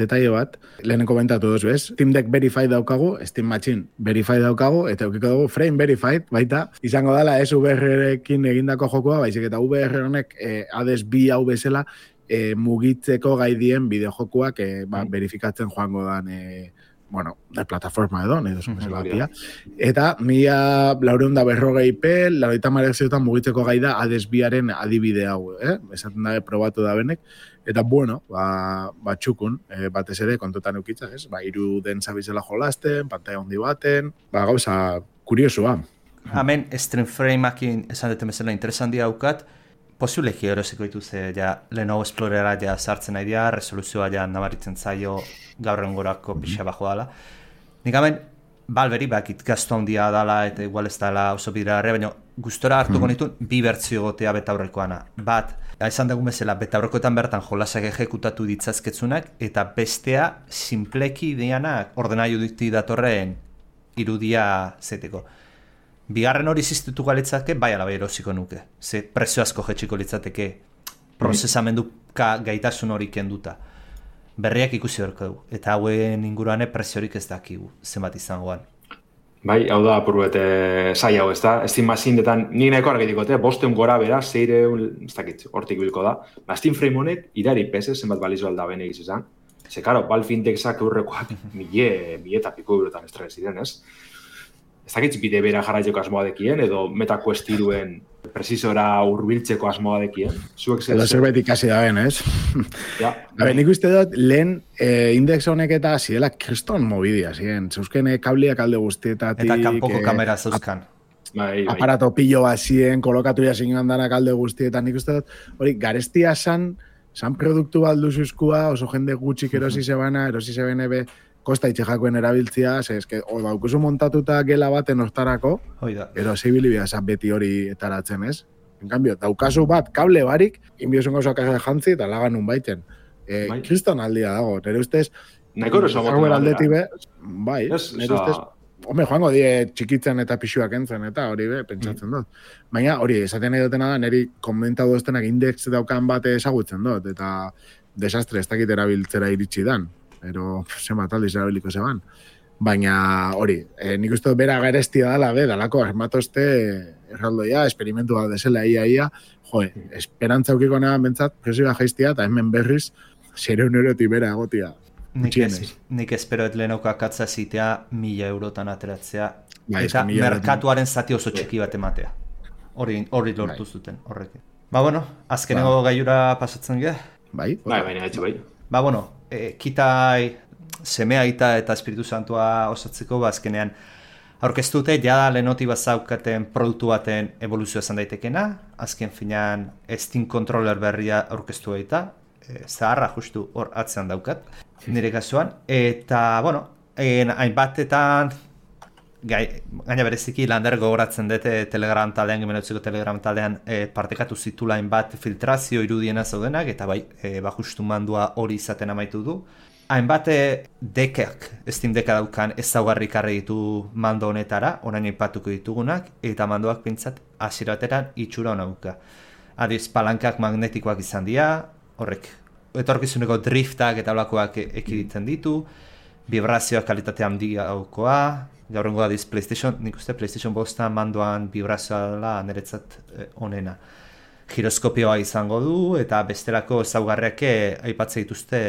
detaile bat, lehenen komentatu dozu, ez? Steam Deck Verified daukagu, Steam Machine Verified daukagu, eta eukiko dugu Frame Verified, baita, izango dela ez V R-ekin egindako jokua, baizik eta V R honek e, Hades bi hau bezala e, mugitzeko gai dien bideojokuak e, ba, verifikatzen joango dan, e, bueno, da plataforma edo, nahi duzun bezala pia. Eta mila laureun da berrogei P, laureita marezioetan mugitzeko gai da Hades biaren adibide hau, eh? Esaten da, probatu da benek. Eta, bueno, ba, ba txukun, eh, batez ere, kontotan eukitza, ez? Ba, iru den zabizela jolasten, pantalla handi baten, ba, gauza, kuriosua. Hemen, stream frame-akin esan duten bezala interesantia daukat, posibleki erosiko dituzte, ja, Lenovo Explorera ja sartzen nahi dira, resoluzioa ja nabaritzen zaio gaur engorako pixa bajo dala. Nik hemen, Valveri bakit gaztu handia dala eta igual ez dala oso bidrarre, baina gustora hartuko nituen bi bertzio gotea betaurrekoana. Bat, esan dugun bezala, betaurrekoetan bertan jolasak ejekutatu ditzazketzunak, eta bestea simpleki dianak ordenailu dikti datorren irudia zeteko. Bigarren hori ziztutu galitzake, bai alabai erosiko nuke. Ze prezio asko jetxiko litzateke prozesamendu gaitasun hori kenduta. Berriak ikusi horko dugu. Eta hauen inguruane preziorik ez dakigu, zenbat izangoan. Bai, hau da, apurbete zai hau ez da. Steam Machine-etan, nik nahiko argitikote, bosteun gora bera, zeire, ez dakit, hortik bilko da. Ba, Steam Frame honek, idari pese, zenbat balizu alda bene egizizan. Ze, karo, Valve Indexak eurrekoak mille, mille eta piko eurotan estre ziren, ez? Ez dakit bide bera jarraitzeko asmoa dekien, edo MetaQuest hiruen presizora urbiltzeko asmoa dekien. Edo zerbait ikasi da ben, ez? Ja. Habe, nik uste dut, lehen eh, index honek eta zidela kriston mobidia, ziren. Zeuzken eh, kabliak alde guztietatik... Eta kanpoko kamera zeuzkan. bai, bai. aparato pilo bazien, kolokatu jasinen danak alde guztietan, nik uste dut, hori, garestia san, san produktu balduzuzkua, oso jende gutxik erosi zebana, erosi zebene be, kosta itxejakoen erabiltzia, ze, eske, o, daukuzu montatuta gela baten hortarako, erosi bilibia esan beti hori etaratzen, ez? En cambio, daukazu bat, kable barik, inbiozun gauza kaja jantzi, eta lagan nun baiten. E, bai. Kriston aldia dago, nire ustez, nahiko eroso moten aldetik be, bai, nire ustez, home, joango die txikitzen eta pixuak entzen, eta hori be, pentsatzen dut. Baina, hori, esaten nahi dutena da, niri komentatu duztenak index daukan bate ezagutzen dut, eta desastre ez dakit erabiltzera iritsi dan, pero zenbat aldiz erabiliko zeban. Baina, hori, e, nik uste dut bera garestia dala, be, dalako armatoste erraldoia, esperimentu bat desela ia ia, jo, esperantza aukiko nahan bentsat, presioa jaiztia, eta hemen berriz, zero eurotik bera egotia. Nik, ez, nik espero et lehenoko akatza zitea mila eurotan ateratzea, ba, eta merkatuaren zati oso txiki bat ematea. Hori, hori lortu zuten, horrekin. Ba, bueno, azkeneko ba. Gaiura pasatzen ge? Bai, bai, baina etxe bai. Ba, bueno, e, kitai semea ita eta Espiritu Santua osatzeko, ba, azkenean aurkeztute, jada lehenoti bazaukaten produktu baten evoluzioa esan daitekena, azken finean Steam Controller berria aurkeztu eta, e, zaharra justu hor atzean daukat, nire kasuan, eta, bueno, en, hainbatetan, gai, gaina bereziki lander gogoratzen dute Telegram taldean, gemenotzeko Telegram taldean e, partekatu zitula hainbat filtrazio irudiena zaudenak, eta bai, e, ba justu mandua hori izaten amaitu du. Hainbat dekak, Steam deka daukan ezaugarri karri ditu mando honetara, orain aipatuko ditugunak, eta mandoak pintzat hasierateran itxura hona duka. Adiz, palankak magnetikoak izan dira, horrek, etorkizuneko driftak eta olakoak ekiditen ditu, vibrazioak kalitate handia daukoa, gaurrengo adiz PlayStation, nik uste PlayStation bosta mandoan vibrazioa dela niretzat onena. Giroskopioa izango du, eta bestelako ezaugarriak aipatzen dituzte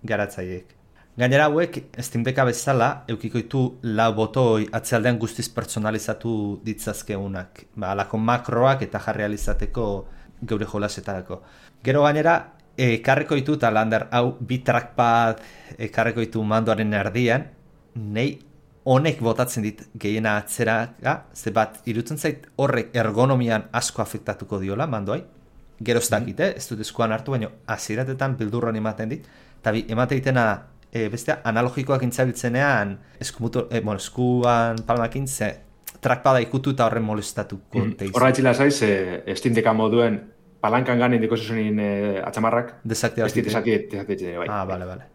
garatzaileek. Gainera hauek, Steam Decka bezala, eukiko ditu lau botoi atzealdean guztiz personalizatu ditzazkeunak. Ba, alako makroak eta jarri alizateko geure jolasetarako. Gero gainera, ekarreko ditu eta lander hau bi trackpad ekarreko ditu mandoaren erdian, nei honek botatzen dit gehiena atzera, ze bat irutzen zait horrek ergonomian asko afektatuko diola mandoai. Gero ez dakit, eh? Ez dut eskuan hartu, baina hasieratetan bildurran ematen dit. Eta bi, emate ditena, e, bestea, analogikoak intzabiltzenean, eskumutu, e, bueno, eskuan palmakin, ze trackpada ikutu eta horren molestatuko mm. teiz. Horra etxila zaiz, e, Steam Decka moduen palankan ganen diko zuzenin e, atxamarrak. Desaktibatu. Desaktibatu, bai. Ah, bale, bale.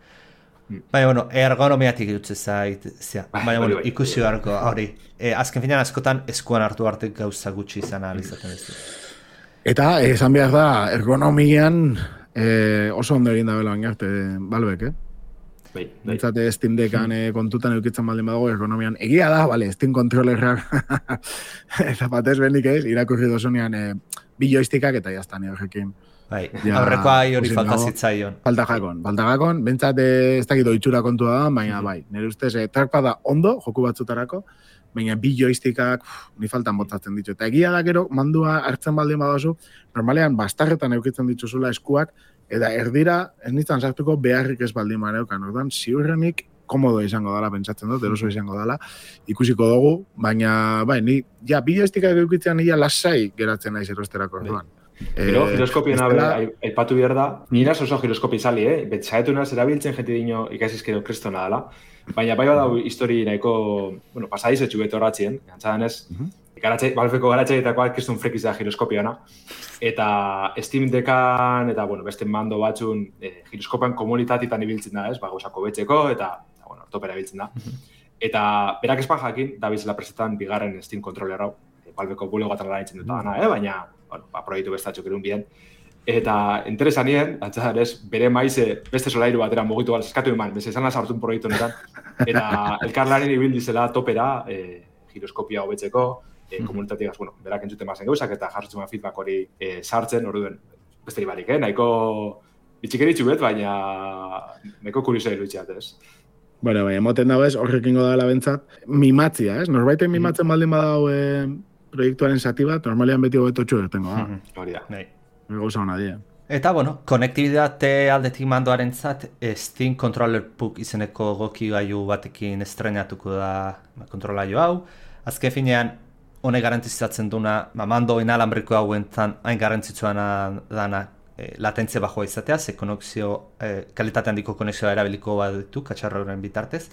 Mm. Baina, bueno, ergonomiatik irutze zait, zia. Baina, bueno, bai, ikusi bai. Beharko, hori. E, azken finean askotan eskuan hartu arte gauza gutxi izan alizaten ez du. Eta, esan behar da, ergonomian eh, oso ondo egin da bela bainarte, balbek, eh? Bai, bai. Entzate Steam Deckan eh, kontutan eukitzen baldin badago ergonomian. Egia da, bale, Steam Controllerrak eta batez bendik ez, irakurri dozunean eh, bi joystickak eta jaztan horrekin. Bai, ja, aurrekoa hori falta zitzaion. Falta jakon, falta jakon, bentsat eh, ez dakit oitxura kontua da, baina mm-hmm. bai, nire ustez eh, trackpada ondo, joku batzutarako, baina bi joystickak ni faltan botatzen ditu. Eta egia da gero, mandua hartzen baldin badazu, normalean bastarretan eukitzen dituzula eskuak, eta erdira ez nintzen sartuko beharrik ez baldin mareukan. Ordan, ziurrenik komodo izango dela, pentsatzen dut, eroso izango dela, ikusiko dugu, baina bai, ni, ja, bi joystickak eukitzean nila lasai geratzen naiz erosterako orduan. Gero, eh, giroskopien abe, aipatu behar da, niraz oso giroskopi izali, eh? Betxaetu naz, erabiltzen jenti dino ikasizkero kristona dela. Baina bai badau histori nahiko, bueno, pasadiz etxu beto horatzien, gantzadan ez, uh-huh. garatxe, balfeko garatxeetakoak kriston frekiz da giroskopiana. Eta Steam Deckan, eta, bueno, beste mando batzun, eh, giroskopian komunitatitan ibiltzen da, ez, ba, gauzako betzeko, eta, eta bueno, ortopera ibiltzen da. Uh-huh. Eta berak espan jakin, da bizela presetan bigarren Steam Controller hau, balfeko bulegoatan gara nintzen dut dana, eh? Baina, bueno, ba, proiektu bestatxok erun bien. Eta interesan nien, atzadan ez, bere maize beste solairu batera mugitu gara eskatu eman, beze esan hartun proiektu honetan. Eta elkarlaren ibildizela topera, e, giroskopia hobetzeko, e, komunitatigaz, bueno, berak entzuten bazen gauzak, eta jartzen feedback hori e, sartzen, orduen beste barik, eh? Nahiko bitxikeritxu bet, baina nahiko kuriosa iruditxeat, ez? Bueno, baina, moten dago ez, horrekingo da bentsat, mimatzia, ez? Norbaiten mimatzen baldin badau e, proiektuaren zati bat, normalean beti hobeto txu ertengo, da? Hori da. Gauza hona dira. Eta, bueno, konektibitate aldetik mandoaren zat, Steam Controller Puck izeneko goki gaiu batekin estrenatuko da kontrolaio hau. Azken finean, honek garantizatzen duna, ba, mando inalambriko hauentan hain garrantzitsuana dana e, latentzia bajoa izatea, ze konexio, e, kalitate handiko konexioa erabiliko bat ditu, katxarra horren bitartez.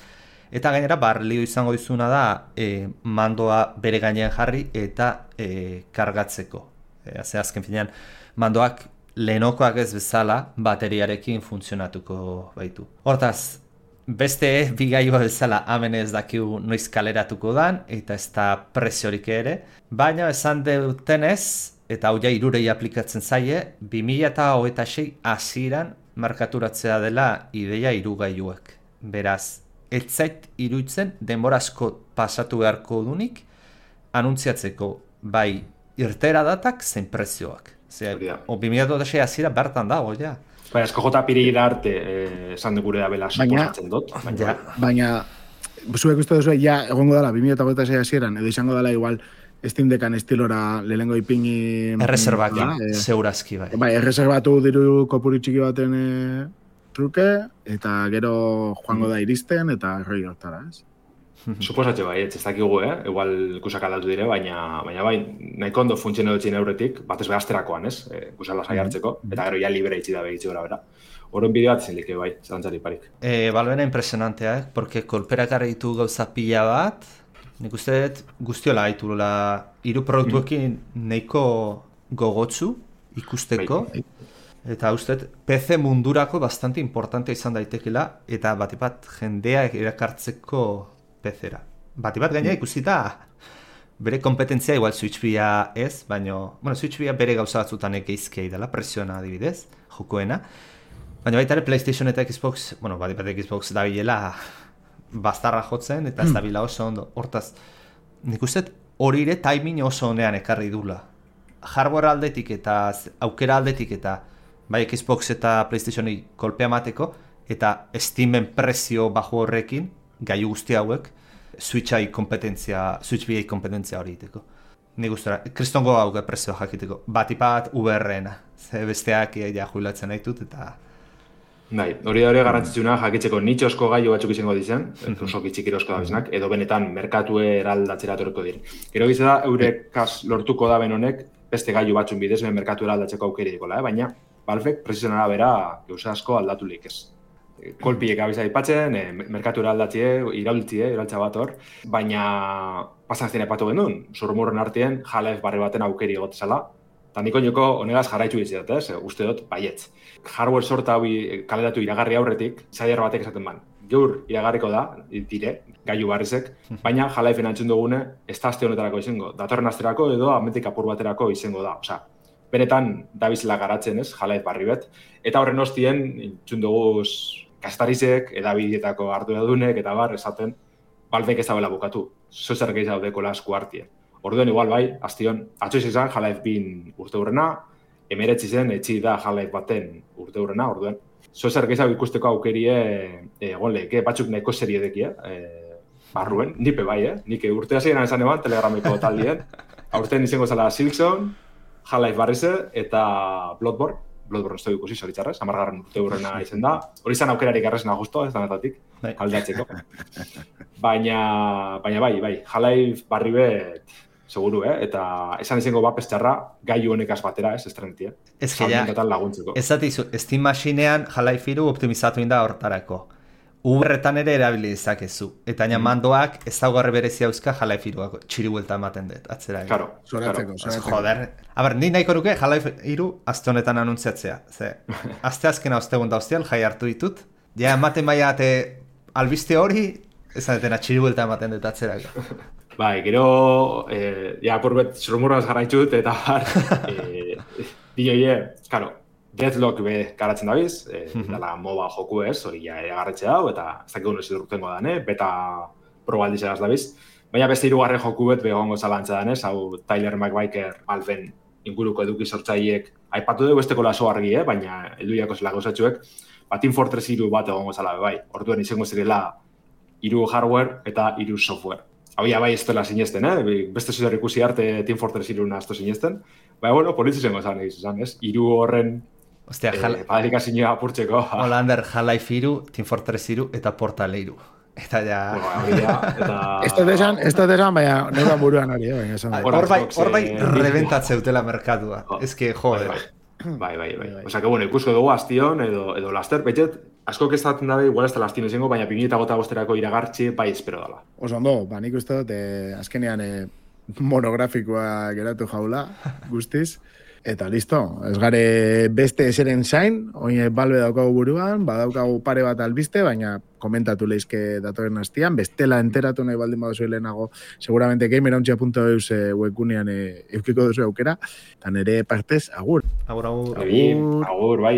Eta gainera, barlio izango dizuna da, e, mandoa bere gainean jarri eta e, kargatzeko. E, Ze azken finean, mandoak lehenokoak ez bezala bateriarekin funtzionatuko baitu. Hortaz, beste bigailua bezala hemen ez dakigu noiz kaleratuko dan, eta ez da preziorik ere, baina esan dutenez, eta hau ja hirurei aplikatzen zaie, bi mila hogeita sei hasieran markaturatzea dela ideia hirugailuak. Beraz, ez zait iruditzen denbora asko pasatu beharko dunik anuntziatzeko bai irtera datak zein prezioak. Zer, o bi mila hogeita sei hasiera bertan dago, ja. Baina, esko jota pirira arte eh, esan dugure da bela suposatzen dut. Baina, baina zuek uste duzu, ja, egongo dela, bi mila hogeita sei hasieran, edo izango dela igual Steam Deckan estilora lehengo ipini... Erreserbak, ja, e, zeurazki, bai. Bai, erreserbatu diru kopuru txiki baten e, truke, eta gero joango da iristen, eta roi hortara, ez? Suposatxe bai, ez dakigu, eh? Igual ikusak aldatu dire, baina, baina bai, nahiko ondo funtziono dutxin euretik, batez behazterakoan, ez? E, ikusak lasai hartzeko, eta gero ja libre itxi da begitxe gora, bera. Horren bideo bat zindik, bai, zelantzari parik. E, Balbena impresionantea, eh? Porque kolperak ditu gauza pila bat, nik uste dut guztiola gaitula hiru produktuekin nahiko gogotsu ikusteko, Bai. eta uste dut P C mundurako bastante importantea izan daitekela, eta batipat jendea erakartzeko P C-ra. Batipat gainera ikusita bere kompetentzia igual Switch bia ez, baina, bueno, Switch bia bere gauza batzutan egeizkei dela, presiona adibidez, jokoena. Baina baita ere PlayStation eta Xbox, bueno, batipat Xbox dabilela bastarra jotzen, eta ez dabila oso ondo. Hortaz, nik uste hori ere timing oso onean ekarri dula. Hardware aldetik eta aukera aldetik eta bai Xbox eta PlayStationi kolpea mateko, eta Steamen prezio bajo horrekin, gaiu guzti hauek, Switchai kompetentzia, Switch B I kompetentzia hori iteko. Nik guztora, kristongo hauke prezioa jakiteko. Batipat U B R-ena, ze besteak ja jubilatzen naitut, eta... Bai, hori da hori garrantzitsuna jakitzeko nitxosko gailu batzuk izango dizen, oso kitxikirosko da biznak, edo benetan merkatue eraldatzera torreko dir. Gero gizu da, eurekaz lortuko da ben honek, beste gailu batzun bidez, ben merkatu eraldatzeko aukeri dikola, eh? Baina, Valvek prezionara bera gauza asko aldatulik ez. Kolpiek abiza ipatzen, eh, merkatu eraldatzie, iraultzie, iraultza bat hor, baina pasan zine epatu genuen, zurmurren artien, Half-Life barri baten aukeri egotezala, eta niko joko honegaz jarraitzu dizidat, ez? Uste dut, baietz. Hardware sorta hori kaleratu iragarri aurretik, zaier batek esaten ban. Gaur iragarriko da, dire, gailu barrizek, baina Half-Lifeen antzun dugune, ez da aste honetarako izango. Datorren asterako edo amentik apur baterako izango da. Osea, benetan dabizela garatzen, ez? Half-Life barri bet. Eta horren ostien, entzun duguz kastarizek, edabidietako arduradunek, eta bar, esaten, Valvek ez da bela bukatu. Zozer gehiago dekola esku hartien. Orduan igual bai, aztion, atxoiz izan Half-Life bin urte hurrena, emeretzi zen etxi da Half-Life baten urte hurrena, orduan. Zozer gehiago ikusteko aukerie egon lehike, batzuk nahiko serie dekia, e, barruen, nipe bai, eh? Nik urte hasieran esan eban, telegramiko taldien. Aurten izango zela Silksong, Half-Life barrize eta Bloodborne. Bloodborne ez da ikusi, zoritxarrez, amargarren urte hurrena izen da. Hori izan aukerarik arrezena justo, ez danetatik, aldatzeko. Baina, baina bai, bai, Half-Life barri bet, seguru, eh? Eta esan izango bat pestxarra gailu honekaz batera, ez estrenetia. Ez que ja, ez datizu, Steam Machinean Half-Life hiru optimizatu inda hortarako. Uberretan ere erabili dezakezu. Eta baina mandoak ez daugarre berezi hauzka Half-Life hiruako txiri buelta ematen dut, atzera. Claro, zoratzeko, zoratzeko. Joder. A ber, ni nahiko nuke Half-Life hiru azte honetan anuntziatzea. Ze, azte azkena ostegun da ostial, jai hartu ditut. Ja, ematen baina ate albiste hori, ez adetena txiri buelta ematen dut, atzera. Bai, gero, eh, ja, apurbet zurmurraz jarraitxut, eta bar, eh, dioie, karo, Deathlock be garatzen dabiz, eh, dala MOBA joku ez, hori ja egarretxe dau, eta ez dakik unez idurtengo dan, eh? Beta probaldizera ez dabiz. Baina beste hirugarren joku bet begongo zalantza danez, hau Tyler McBaker Valven inguruko eduki sortzaileek aipatu dugu besteko laso argi, eh? Baina elduiako zela gauzatxuek, ba, Team Fortress hiru bat egongo zala be bai. Orduan izango zirela hiru hardware eta hiru software. Hau ja bai ez dela sinesten, eh? Beste zuzer ikusi arte Team Fortress hiru nazto sinesten. Baina, bueno, politzi zengo zan egizu zan, ez? Hiru horren Ostia, eh, padarika zinua apurtzeko. Holander, Half-Life hiru, Team Fortress hiru eta Portal hiru. Eta ja... eta... Ez dut esan, ez dut esan, baina neudan buruan hori, baina esan dut. Hor bai, hor bai rebentatze dutela merkatua. Ez que, joder. Bai, bai, bai. Osa, que bueno, ikusko dugu astion, edo, edo laster, betxet, asko kestatzen dabe, igual ez da lastien izango, baina bi mila gota bosterako iragartzi, bai, espero dala. Oso ondo, ba, nik uste dut, eh, azkenean eh, monografikoa geratu jaula, guztiz. Eta listo, ez gare beste eseren zain, oin balbe daukagu buruan, badaukagu pare bat albiste, baina komentatu leizke datorren hastian, bestela enteratu nahi baldin baduzu lehenago, seguramente gamerontxia punto eus webgunean eukiko duzu aukera, eta nire partez, agur. Agur, agur. Agur, agur, bai.